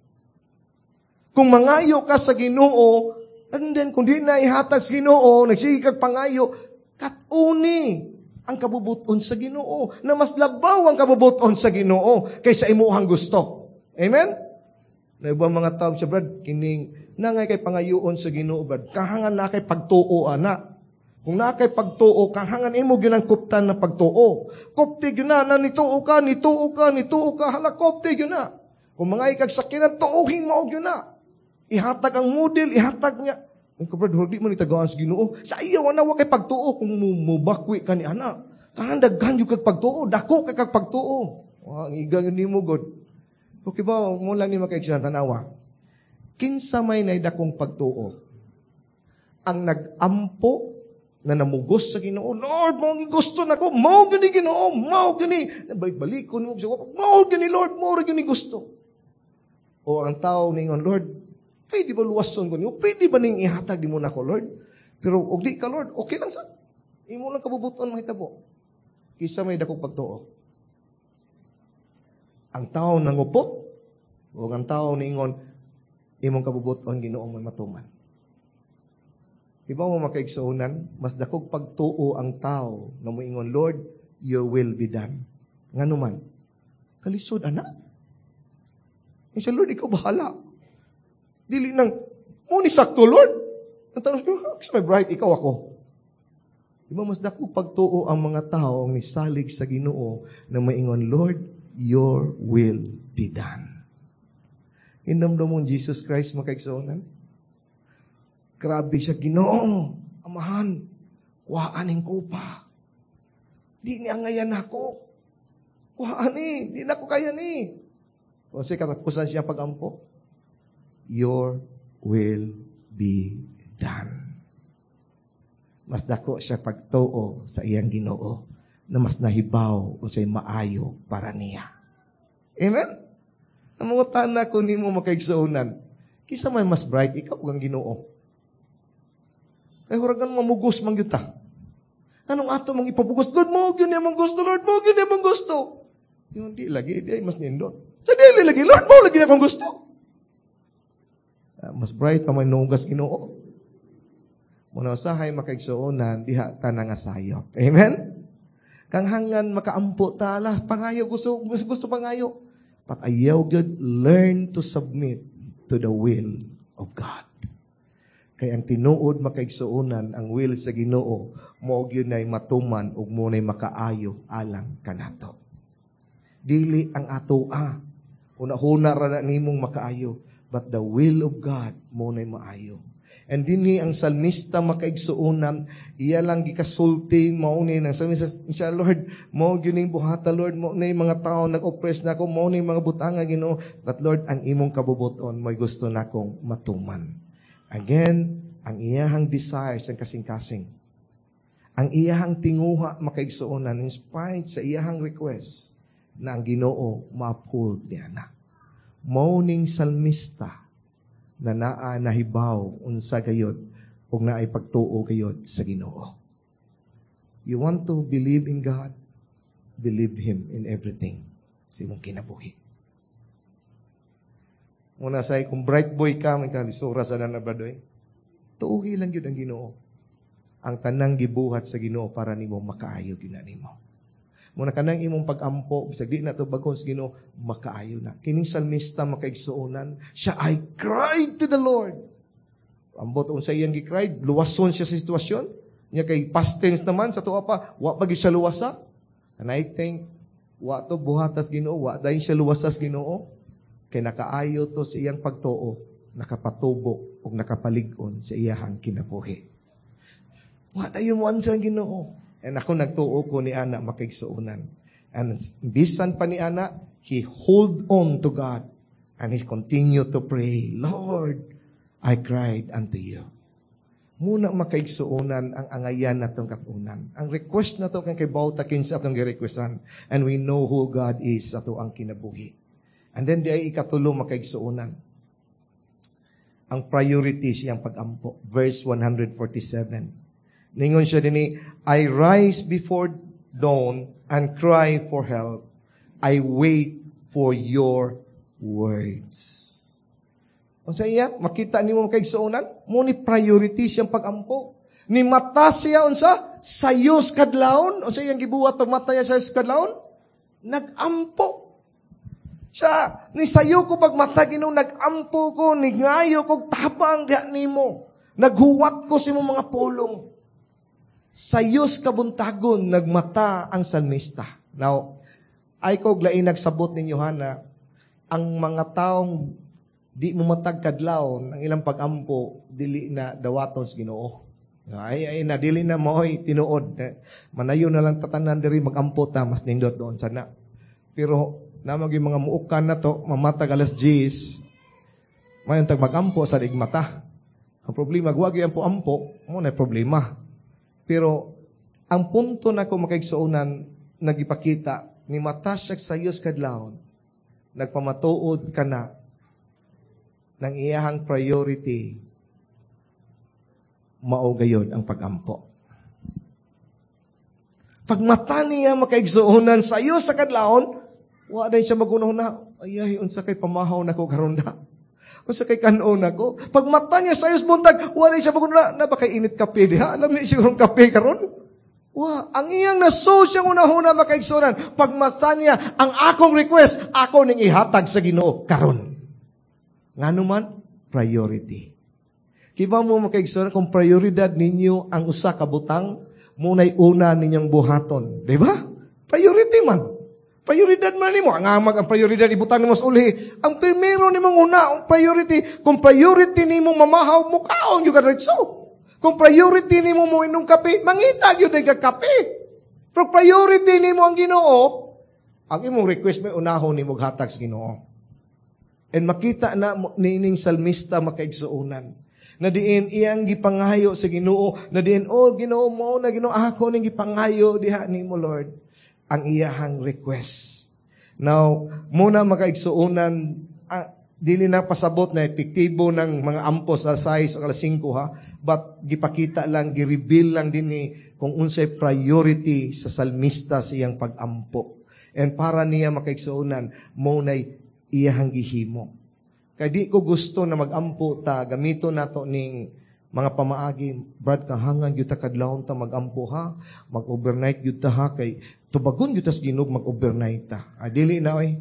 Kung mangayo ka sa Ginoo, and then kung di na ihatag sa Ginoo, nagsige kag pangayo, kat-uni ang kabubuton sa Ginoo. Na mas labaw ang kabubuton sa Ginoo kaysa imuhang gusto. Amen? Na ibang mga tao siya, "Brad, kining nangay kay pangayoon sa Ginoo, brad. Kahangan na kay pagtuo ana. Kung naa kay pagtuo, kahangan imo gyud ang kuptan na pagtuo. Kupti gyud na, na nituo ka, nituo ka, nituo ka, hala, kupti gyud na. Kung mga ikag sakinan, tuohin mo gyud na. Ihatag ang model, ihatag niya. Ay ko, brad, di mo ni tagaan sa Ginoo. Sa iya, wala wa kay pagtuo kung mubakwi ka ni ana. Kahan daghan yung kag pagtuo, dako kay kag pagtuo." Wa, ang igang yun nimo god. Okay ba, mo lang ni makaigsinan tanawa. Kinsa may nay dakong pagtuo? Ang nag-ampo na namugos sa Ginoo, "Lord, mao ang gusto nako, mao gani Ginoo, mao gani." Balikon mo siya, "Mao gani Lord, mao ra gani gusto." O ang tao ningon, "Lord, pwede ba luwason ko nimo? Pwede ba ning ihatag nimo nako, Lord? Pero og di ka, Lord, okay lang sa. Imo lang kabubuton mahitabo." Kinsa may dakong pagtuo? Ang tao nangupot o ang tao niingon, "Imong kabubuton, Ginoo, may matuman"? Iba mo, makaigsuonan, mas dakog pagtuo ang tao na moingon, "Lord, your will be done." Ngano man? Kalisod, ana. Siya, "Lord, ikaw bahala." Dili nang, mo ni sakto, Lord. Ang tanong ko, "May bright, ikaw ako." Di ba mas dako pagtuo ang mga tao ang nisalig sa Ginoo na maingon, "Lord, your will be done"? Hinumdumon Jesus Christ, makaigsuonan? Grabe siya, "Ginoo, Amahan, kuhaan ning kupa. Di ni angayan ako. Kuhaan ni, di na ko kaya ni." Kasi katapusan siya pagampo, "Your will be done." Mas dako siya pagtuo sa iyang Ginoo na mas nahibaw unsay maayo para niya. Amen? Namangutan na ko nimo, makaigsuonan. Kinsa may mas bright, ikaw o ang Ginoo? Kay huragan mamugos man gyud ta. Anong ato mang ipabugos? "Lord, mao gyud mong gusto, Lord, mao gyud mong gusto." Yung di lagi, di ay mas nindot. Sa dili lagi, "Lord, mao lagi na akong gusto." Mas bright pa may nunggas Ginoo. Muna usahay, makaigsuonan, diha ta nga sayop. Amen? Kang hangan makaampo ta, ala, pangayo, gusto, gusto, gusto pangayo. But ayaw gyud, learn to submit to the will of God. Kay ang tinuod, makaigsuonan, ang will sa Ginoo, mao gyud nay matuman ug mo nay makaayo alang kanato. Dili ang ato ah. Huna-huna ra na nimong makaayo, but the will of God mo nay maayo. And dinhi ang salmista, makaigsuonan, iya lang gikasulti mao ni nang salmista siya, "Lord, mao gyud ning buhata, Lord, mao ni mga tao nag-oppress nako, mao ni mga butanga, Ginoo, but Lord, ang imong kabubuton mo'y gusto nakong matuman." Again, ang iyahang desires ang kasing-kasing. Ang iyahang tinguha, makaigsuonan, in spite sa iyahang request na ang Ginoo ma-uphold niya na. Mao ning salmista na naa nahibaw unsa gayod ug naay pagtuo gayod sa Ginoo. You want to believe in God? Believe Him in everything sa imong kinabuhi. Una say, kung bright boy ka, may kalisura sa na bradoy. Tuuhi lang gyud ang Ginoo. Ang tanang gibuhat sa Ginoo para nimo, makaayo gyud na nimo. Muna kanang imong pag-ampo, bisag di na to bagon sa Ginoo, makaayo na. Kining salmista, makaigsuonan, siya, "I cried to the Lord." Ambot unsa iyang gi-cried, luwason siya sa sitwasyon. Nya kay past tense naman sa tuwa pa, wa pa gyud siya luwasa. And I think wa to buhatas Ginoo, wa dayon siya luwasas Ginoo. Kay nakaayo to sa iyang pagtuo, nakapatubok ug nakapalig-on sa iyahang kinabuhi. Wa dayon mo answer ang Ginoo. And ako nagtuo ko ni ana, makaigsuonan. And bisan pa ni ana, he hold on to God and he continue to pray, "Lord, I cried unto you." Muna, makaigsuonan, ang angayan natong katunan. Ang request na to kay bawta kinsa atong girequestan. And we know who God is ato ang kinabuhi. And then di ay ikatulo, makaigsuonan. Ang priority siyang pagampo. Verse 147. Ningon siya dinhi, "I rise before dawn and cry for help. I wait for your words." Unsa iya, makita nimo, makaigsuonan, mo ni priority siyang pagampo. Ni mata siya unsa? Sayos kadlawon. Unsa iyang gibuhat pag mata niya sayos kadlawon? Nagampo. Siya, ni sayo ko pag mata Ginoo, nagampo ko, ningayo ko tabang diha nimo. Naghuwat ko sa imong mga pulong. Sayos kabuntagon nagmata ang salmista. Now, ay ko lain nagsabot ninyo hana, ang mga taong di mo matag kadlawon ang ilang pagampo dili na dawaton sa Ginoo. Ay ay na dili na mo'y tinuod. Manayo na lang tatanan diri, magampo ta, mas nindot doon sana. Pero namag yung mga muukan na to, mamatag alas 10, mayon tag magampo sa mata. Ang problema, wag yung ampo-ampo, mo na problema. Pero ang punto na ko, makaigsuonan, nagipakita ni mata siya sa sayos kadlawon, nagpamatuod ka na ng iyahang priority mao gayod ang pagampo. Pag mata niya, makaigsuonan, sa iyo sa kadlawon, wa na siya magunaw na, "Ay, ay, unsa kay pamahaw na ko karon da. Unsa kay kanon ako." Pag mata niya sa buntag, wa na siya magunaw na, "Na ba kay init kape diha? Alam niya siguro kape karon." Wa, ang iyang naso siyang unahuna, makaigsuonan, pagmasa niya, ang akong request, ako ning ihatag sa Ginoo karon. Ngano man, priority. Kibaw mo, makaigsuonan, kung prioridad ninyo ang usa ka butang, muna'y una ninyong buhaton. Di ba? Priority man. Prioridad man nimo. Ang amag, ang prioridad, ibutang nimo sa uli. Ang primero nimong una, ang priority, kung priority nimo mamahaw, mukaon gyud ka diretso. Kung priority nimo mo inom kape, mangita gyud ka kape. Pero priority nimo ang Ginoo, ang imong request may unahon nimo hatag sa Ginoo. And makita na nining salmista, makaigsuonan, na diin iyang gipangayo sa Ginoo, na diin, "Oh Ginoo, mo na Ginoo ako ning gipangayo diha nimo, Lord," ang iyahang request. Now, muna, makaigsuonan, dili na pasabot na epektibo ng mga ampo sa 6 o alas 5 ha, but gipakita lang, gi-reveal lang dinhi kung unsay priority sa salmista sa iyang pagampo. And para niya, makaigsuonan, mo nay iyahang gihimo. Kay di ko gusto na magampo ta, gamito nato ning mga pamaagi, "Brad, kahangan gyud ta kadlawon ta magampo ha, mag-overnight gyud ta ha, kay tubagon gyud ta sa Ginoo mag-overnight ta." Ah, dili na oy.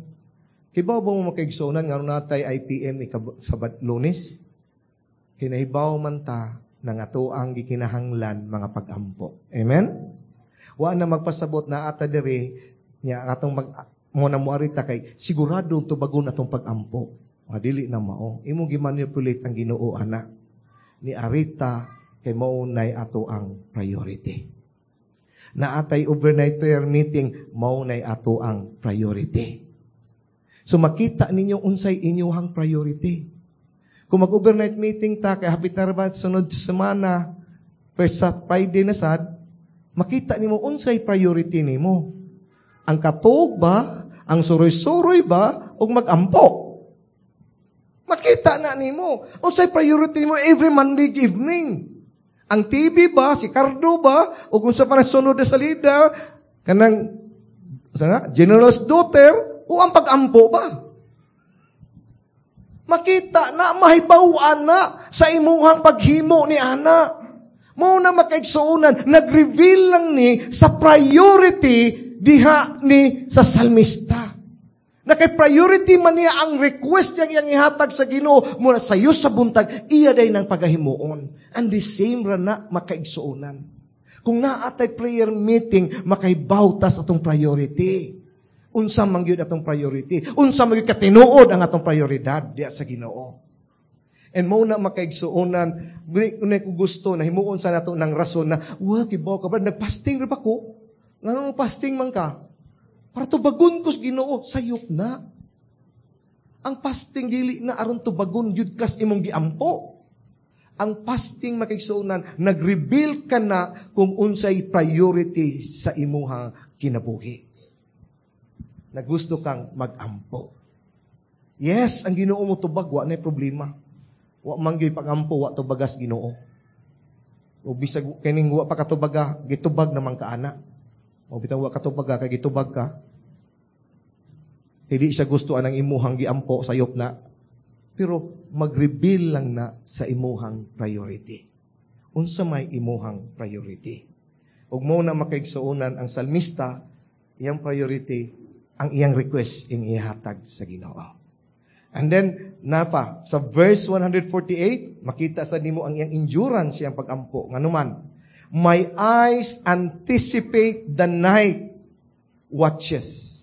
Kibaw ba mo, makaigsuonan, nga natay IPM sa Lunes? Kinahibaw man ta na nga ang gikinahanglan mga pagampo. Amen? Wa na magpasabot na ata diri nya atong mag mo na moari ta kay sigurado tubagon atong pagampo. Dili na mao. Imo gimanipulate ang Ginoo ana. Ni arita kay mao nay ato ang priority. Naatay overnight prayer meeting, mao nay ato ang priority. So makita ninyo unsay inyuhang priority. Kung mag-overnight meeting ta, kay hapit na ra sunod semana, first sa Friday na sad, makita nimo unsay priority nimo. Ang katuog ba, ang suroy-suroy ba, o magampo? Makita na nimo. Unsay priority nimo every Monday evening? Ang TV ba, si Cardo ba, o kung sa pa sunod na salida, kanang sana, General's Daughter, o ang pagampo ba? Makita na, mahibawan na sa imuhang paghimo ni ana. Mo na, makaigsuonan, nag-reveal lang ni sa priority diha ni sa salmista. Na kay priority man niya ang request niyang iyang ihatag sa Ginoo muna sayo sa buntag, iya day ng pagahimuon. And the same ra na, makaigsuonan. Kung naatay prayer meeting, makahibaw ta sa atong priority. Unsa man gyud atong priority? Unsa man gyud katinuod ang atong prioridad diya sa Ginoo? And mo na, makaigsuonan, dili ko gusto na himuon sa nato ng rason na, "Wa, kibaw ka ba, nagfasting ra ba ko?" Ngano mo fasting man ka? "Para tubagon ko sa Ginoo." Sayop na. Ang fasting dili na aron tubagon gyud kas imong giampo. Ang fasting, makaigsuonan, nag-reveal ka na kung unsay priority sa imuhang kinabuhi. Nagusto kang magampo. Yes, ang Ginoo mo tubag, wa na problema. Wa man gyud pagampo, wa tubagas Ginoo. O bisag kining wa pa katubaga, gitubag naman ka ana. O bitaw wa katubaga kay gitubag ka. Hindi siya gusto anang imuhang giampo, sayop na. Pero mag-reveal lang na sa imuhang priority. Unsa may imuhang priority? Ug mo na, makaigsuonan, ang salmista, iyang priority, ang iyang request ing ihatag sa Ginoo. And then, napa, sa verse 148, makita sa nimo ang iyang endurance, iyang pagampo. Nganuman, "My eyes anticipate the night watches,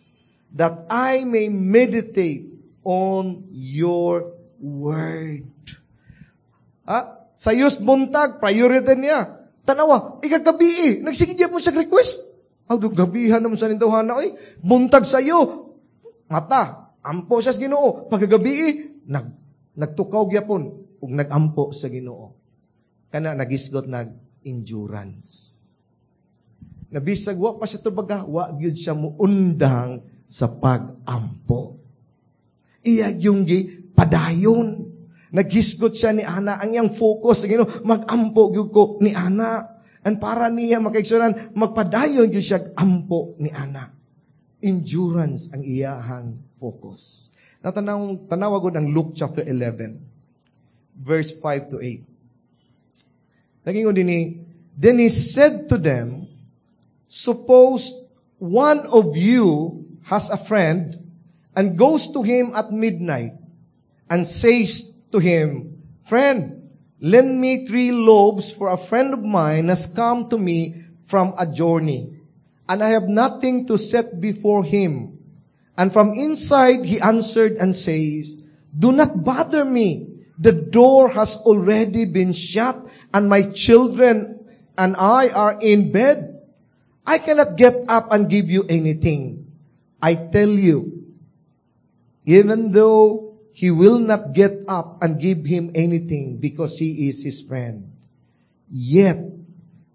that I may meditate on your word." Ah, sayos buntag, priority niya. Tanawa, ikagabi eh. Nagsige mo siya request. Aw, gabihan naman sa nindawhana, oy. Buntag sayo. Mata, ampo siya sa Ginoo. Pagkagabi eh, nagtukaw gyapon ug nagampo sa Ginoo. Kana nagisgot nag endurance. Nabisag wa pa siya tubaga, wa gyud siya muundang sa pag-ampo. Iya yung gi padayon. Naghisgot siya ni ana ang iyang focus sa Ginoo, mag-ampo gyud ko ni ana. And para niya, makaigsuonan, magpadayon gyud siya ampo ni ana. Endurance ang iyahang focus. Natanaw tanawa gud ang Luke chapter 11 verse 5 to 8. Naging dinhi, "Then he said to them, Suppose one of you has a friend and goes to him at midnight and says to him, 'Friend, lend me 3 loaves, for a friend of mine has come to me from a journey, and I have nothing to set before him.' And from inside he answered and says, 'Do not bother me. The door has already been shut, and my children and I are in bed. I cannot get up and give you anything.' I tell you, even though he will not get up and give him anything because he is his friend, yet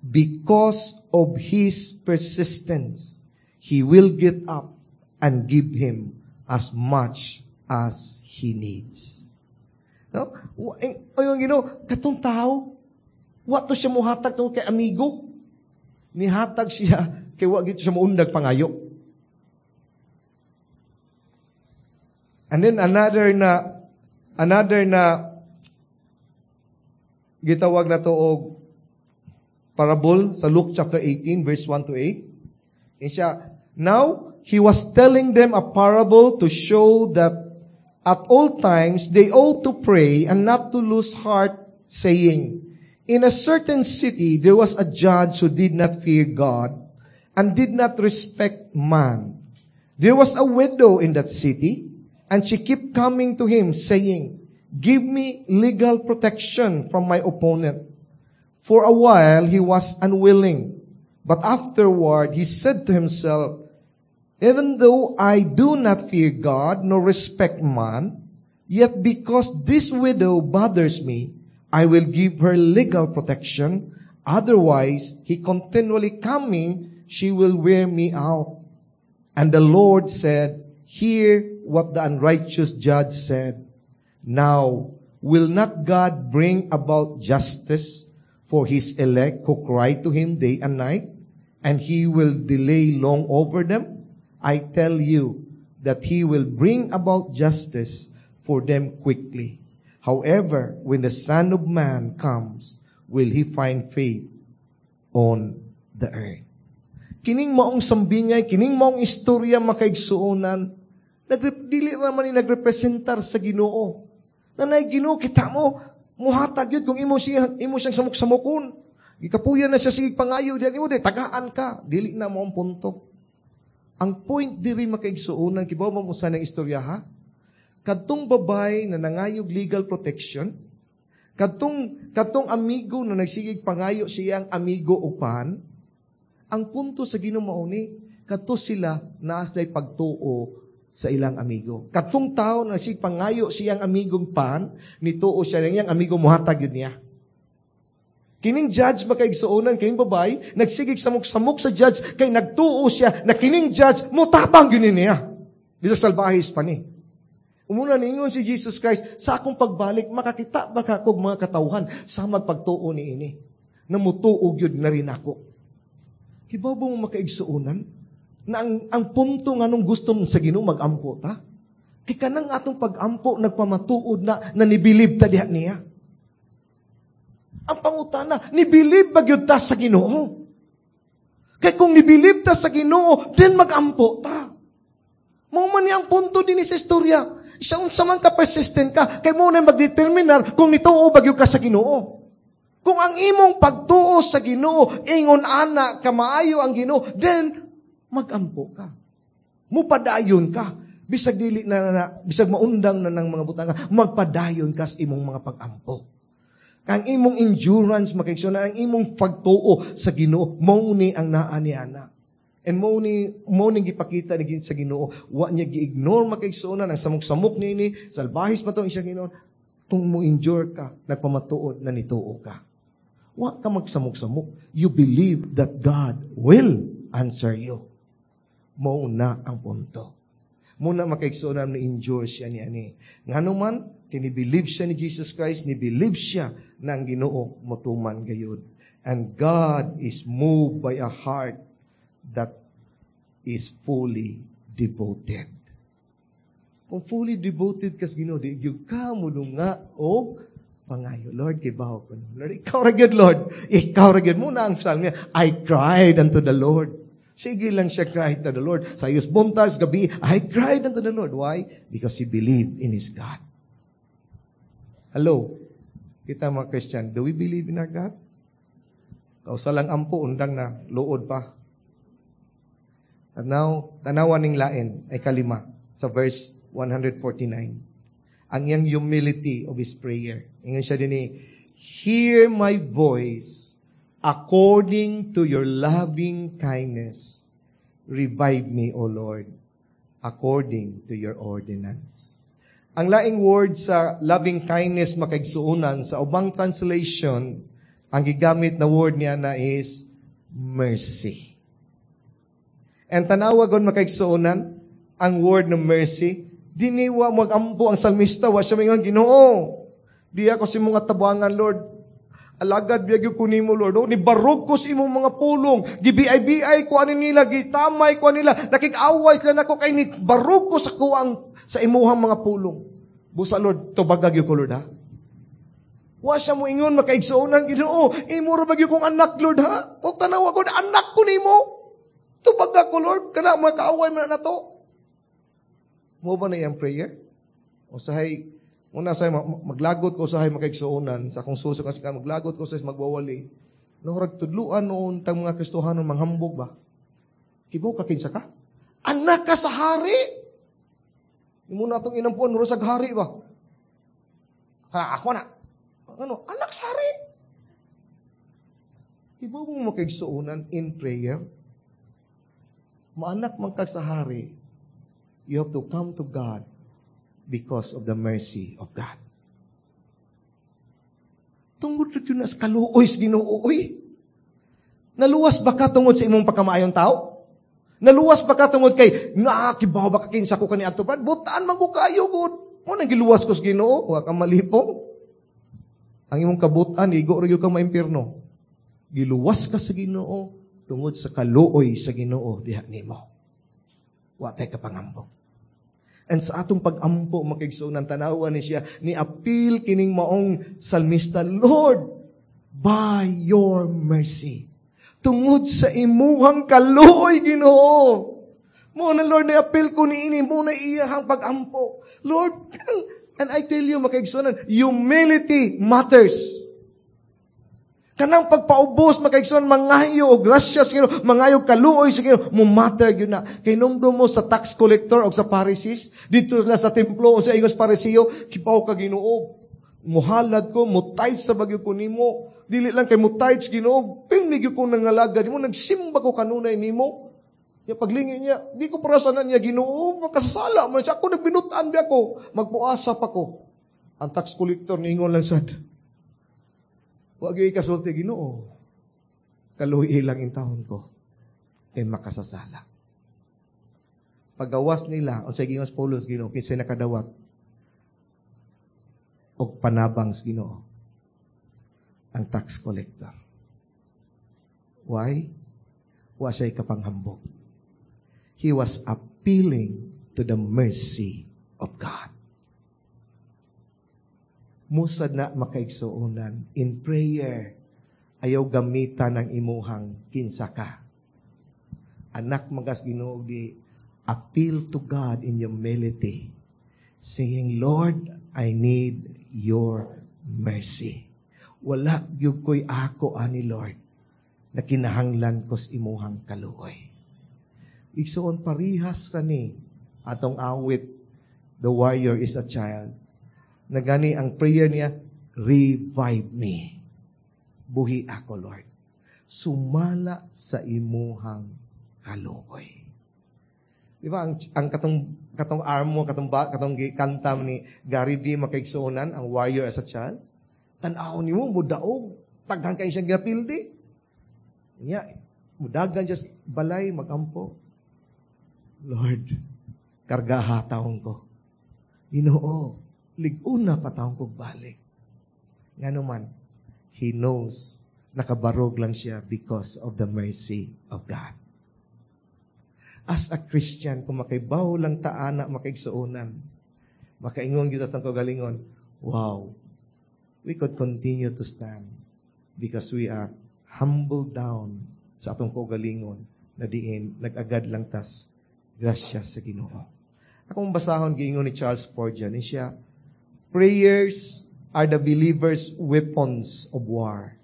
because of his persistence, he will get up and give him as much as he needs." No? Ayon Ginoo, katong tao, wa to siya muhatag tungod kay amigo. Nihatag siya kay wa gyud siya muundag pangayo. And then another na gitawag na to og parable sa Luke chapter 18 verse 1 to 8. And siya, "Now he was telling them a parable to show that at all times they ought to pray and not to lose heart, saying, 'In a certain city there was a judge who did not fear God and did not respect man. There was a widow in that city, and she kept coming to him, saying, 'Give me legal protection from my opponent.' For a while he was unwilling, but afterward he said to himself, 'Even though I do not fear God nor respect man, yet because this widow bothers me, I will give her legal protection. Otherwise, he continually coming, she will wear me out.' And the Lord said, 'Hear what the unrighteous judge said. Now, will not God bring about justice for his elect who cry to him day and night? And he will delay long over them? I tell you that he will bring about justice for them quickly. However, when the Son of Man comes, will he find faith on the earth?'" Kining maong sambingay, kining maong istorya, makaigsuonan, dili naman ni nagrepresentar sa Ginoo. Nanay Ginoo, kita mo, muhatag yun kung imo siyang samok-samokon. Gikapuyan na siya, sige pangayo diyan imo, di, tagaan ka. Dili na mo ang punto. Ang point diri, makaigsuonan, kibaw mo sa ng istorya, ha? Kadtong babay na nangayog legal protection, kadtong amigo na nagsigig pangayo siyang amigo upan, ang punto sa Ginoo mao ni, kadto sila naa sila'y pagtuo sa ilang amigo. Kadtong tao na sig pangayo siyang amigong pan, nituo siya nang iyang amigo muhatag yun niya. Kining judge, makaigsuonan, kining babay, nagsigig samok-samok sa judge, kay nagtuo siya na kining judge, mutabang yun niya. Bisag salbahis pa ni. Umuna niingon si Jesus Christ, "Sa akong pagbalik, makakita ba ka kog mga katawhan sa magpagtuo ni ini? Na mutuo gyud na rin ako?" Kibaw ba mo, makaigsuonan, na ang punto nga nung gusto sa Ginoo magampo ta? Kay kanang atong pag-ampo nagpamatuod na na nibilib ta diha niya. Ang pangutana, nibilib ba gyud ta sa Ginoo? Kay kung nibilib ta sa Ginoo, then magampo ta. Mao man ni ang punto din sa istorya. Siya unsa man ka persistent ka, kay mo na magdeterminar kung nituo ba gyud ka sa Ginoo. Kung ang imong pagtuo sa Ginoo ingon ana ka maayo ang Ginoo, then magampo ka. Mupadayon ka. Bisag dili na, bisag maundang na ng mga butanga, magpadayon ka sa imong mga pag-ampo. Ang imong endurance, makaigsuonan, ang imong pagtuo sa Ginoo, mao ni ang naa ni ana. And mao ni gipakita ni sa Ginoo, wa niya gi-ignore, makaigsuonan, ang samok-samok niini, salbahis pa to ang siya Ginoo. Kung mo endure ka, nagpamatuod na nituo ka. Wa ka magsamok-samok. You believe that God will answer you. Mao na ang punto. Muna, makaigsuonan, na endure siya ni ani. Ngano man, kini-believe siya ni Jesus Christ, ni-believe siya na ang Ginoo motuman gayud. And God is moved by a heart that is fully devoted. Kung fully devoted kas Ginoo, di gyud ka nga og pangayo. "Lord, kibaw ko. Lord, ikaw ra gyud, Lord. Ikaw ra gyud." Muna ang psalm niya, "I cried unto the Lord." Sige lang siya cried to the Lord. Sa ayos buntag, gabi, I cried unto the Lord. Why? Because he believed in his God. Hello? Kita mga Christian, do we believe in our God? Kausa lang ampo, undang na, luod pa. And now, tanawan ning lain ay kalima sa verse 149. Ang iyang humility of his prayer. Ingon siya din, "Hear my voice according to your loving kindness. Revive me, O Lord, according to your ordinance." Ang laing word sa loving kindness, makaigsuunan, sa ubang translation, ang gigamit na word niya na is mercy. And tanawa gon, makaigsuunan, ang word ng mercy, diniwa magampo ang salmista, wa siya mingon, "Ginoo, di ako sa imong tabangan, Lord. Alagad biya gyud ko nimo, Lord. Oh, ni barog ko sa imong mga pulong. Gibiay-biay ko ani nila, gitamay ko ani nila. Nakig-away sila nako kay ni barog ko sa kuang sa imuhang mga pulong. Busa, Lord, tubaga gyud ko, Lord, ha." Wa siya mo ingon, makaigsuon ng Ginoo, "Imo ra ba gyud kong anak, Lord, ha? Kung tanawa ko, anak ko nimo. Tubaga ko, Lord, kana mga kaaway man na to." Mo ba na iyang prayer? Usahay, una say maglagot ko usahay, makaigsuonan, sa akong suso kasi ka maglagot ko sa magwawali. No rag tudluan noon tang mga Kristohanon manghambog ba? Kibaw ka kinsa ka? Anak ka sa hari. Imo na atong inampuan ro sa hari ba? Ha, ako na. Ano? Anak sa hari. Kibaw mo, makaigsuonan, in prayer, maanak man ka sa hari, you have to come to God because of the mercy of God. Tungod ra gyud na sa kaluoy sa Ginoo, oy. Naluwas ba ka tungod sa imong pagkamaayon tao? Naluwas ba ka tungod kay nakibaw ba ka kinsa ko kani adto, Brad? Butaan man ko kayo gud. Mo nang giluwas ko sa Ginoo, wa ka malipong. Ang imong kabutan igo ra gyud ka maimpierno. Giluwas ka sa Ginoo tungod sa kaluoy sa Ginoo diha nimo. Wa tay kapangambog. And sa atong pag-ampo, makaigsuonan, tanawa ni siya, ni appeal kining maong salmista, "Lord, by your mercy." Tungod sa imuhang kaluoy, Ginoo. Mo na, Lord, ni appeal ko ni ini, mo na iyahang pag-ampo. Lord, and I tell you, makaigsuonan, humility matters. Kanang pagpaubos, makaigsoon, mangayo og grasya sa Ginoo, mangayo kaluoy sa Ginoo, mo matter gyud na. Kay numdum mo sa tax collector og sa Pharisees, dito na sa templo o sa ingos Pariseo, "Kibaw ka, Ginoo, muhalad ko, mutayds sa bagyo ko nimo. Dili lang kay mutayds, Ginoo, pirmi gyud ko nangalagad nimo, nagsimba ko kanunay nimo." Ya paglingi niya, "Di ko parasanan niya, Ginoo, makasala man siya. Ako nagbinutan biya ko, magpuasa pa ko." Ang tax collector niingon lang sad, "Wa gyud kasulti, Ginoo. Kaluhi lang in taon ko kay makasasala." Pagawas nila, unsay giingon sa Paulos, "Ginoo, kinsay nakadawat og panabang sa Ginoo?" Ang tax collector. Why? Wa siya kapanghambog. He was appealing to the mercy of God. Musad na, makaigsuonan, in prayer, ayaw gamitan ng imuhang kinsa ka. Anak magas Ginoo di, appeal to God in humility, saying, "Lord, I need your mercy. Wala gyud ko'y ako ani, Lord, na kinahanglan ko sa imuhang kaluoy." Igsuon, parihas ra ni atong awit, "The Warrior is a Child." Nagani ang prayer niya, "Revive me. Buhi ako, Lord. Sumala sa imuhang kaluoy." Di ba, ang katong arm mo, katong, ba, katong kanta ni Gary V, makaigsuonan, ang "Warrior as a Child"? Tan-aw nimo, mudaog. Taghan kayo siyang ginapildi. Niya, mudagan just balay, magampo. "Lord, kargaha taong ko. Ginoo, lig-una pa taong ko balik." Nga naman, he knows nakabarog lang siya because of the mercy of God. As a Christian, kung makaibaw lang taana, makaigsuonan, makaingon gyud atong kagalingon, wow, we could continue to stand because we are humbled down sa atong kaugalingon Na diin nag-agad lang tas grasya sa Ginoo. Akong basahon giingon ni Charles Spurgeon, ni siya, "Prayers are the believer's weapons of war.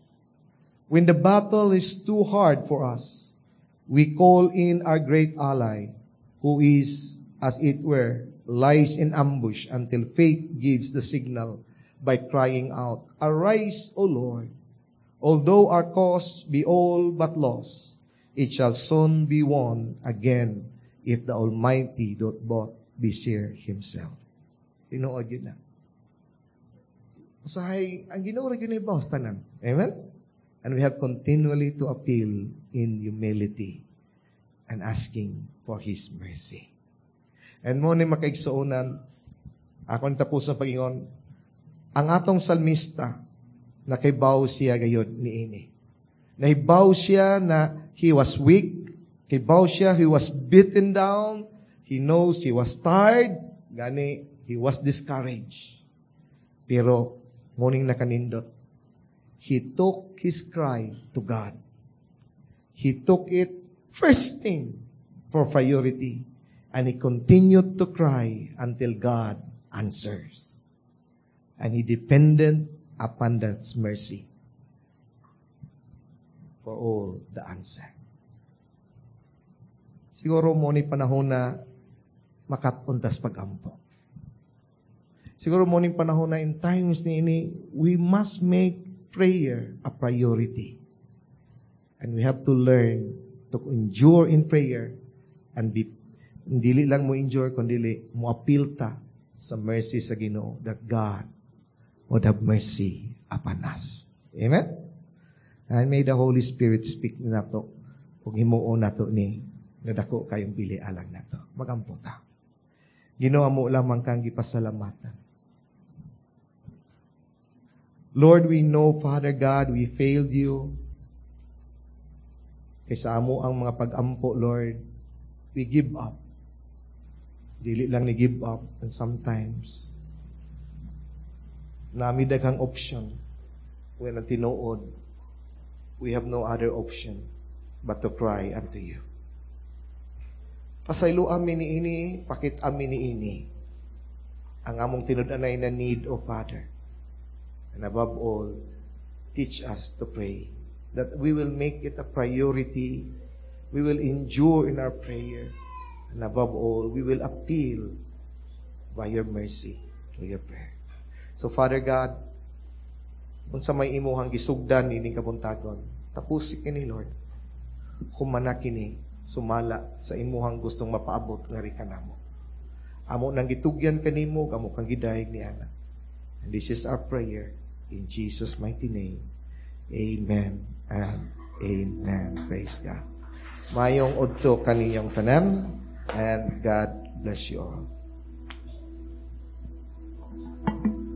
When the battle is too hard for us, we call in our great ally, who is, as it were, lies in ambush until faith gives the signal by crying out, 'Arise, O Lord.' Although our cause be all but lost, it shall soon be won again if the Almighty doth but bestir Himself." Tinuod gyud na. Usahay, ang Ginoo ra gyud bawas tanan. Amen? And we have continually to appeal in humility and asking for His mercy. And mao ni, makaigsuonan, akong tapos na pag-ingon, ang atong salmista, nakaibaw siya gayod niini. Nahibaw siya na he was weak, kibaw siya he was beaten down, he knows he was tired, gani he was discouraged. Pero mao ning nakanindot, he took his cry to God. He took it first thing for priority. And he continued to cry until God answers. And he depended upon that mercy for all the answer. Siguro mao ni panahon na makat-on tas pag-ampo. Siguro mao ni panahon na in times ni ini, we must make prayer a priority. And we have to learn to endure in prayer and be dili lang mo endure kundi mo appeal ta sa mercy sa Ginoo that God would have mercy upon us. Amen? And may the Holy Spirit speak nato ug himuon nato ni nga dako kayong bili alang nato. Magampo ta. Ginoo, amo lamang kang gipasalamatan. Lord, we know, Father God, we failed you. Kay sa amo ang mga pag-ampo, Lord, we give up. Dili lang ni give up, and sometimes, naa mi daghang option. When ang tinuod, we have no other option but to cry unto you. Pasaylo ami ni ini, pakit ami ni ini. Ang among tinud-anay na need, O Father. And above all, teach us to pray. That we will make it a priority. We will endure in our prayer. And above all, we will appeal by your mercy to your prayer. So, Father God, unsa may imuhang gisugdan ining kabuntagon, tapusi kini, Lord. Humana kini sumala sa imuhang gustong mapaabot ngari kanamo. Amo nang gitugyan kanimo, amo kang gidayeg ni ana. And this is our prayer in Jesus' mighty name. Amen and amen. Praise God. Mayong udto kaninyong tanan, and God bless you all.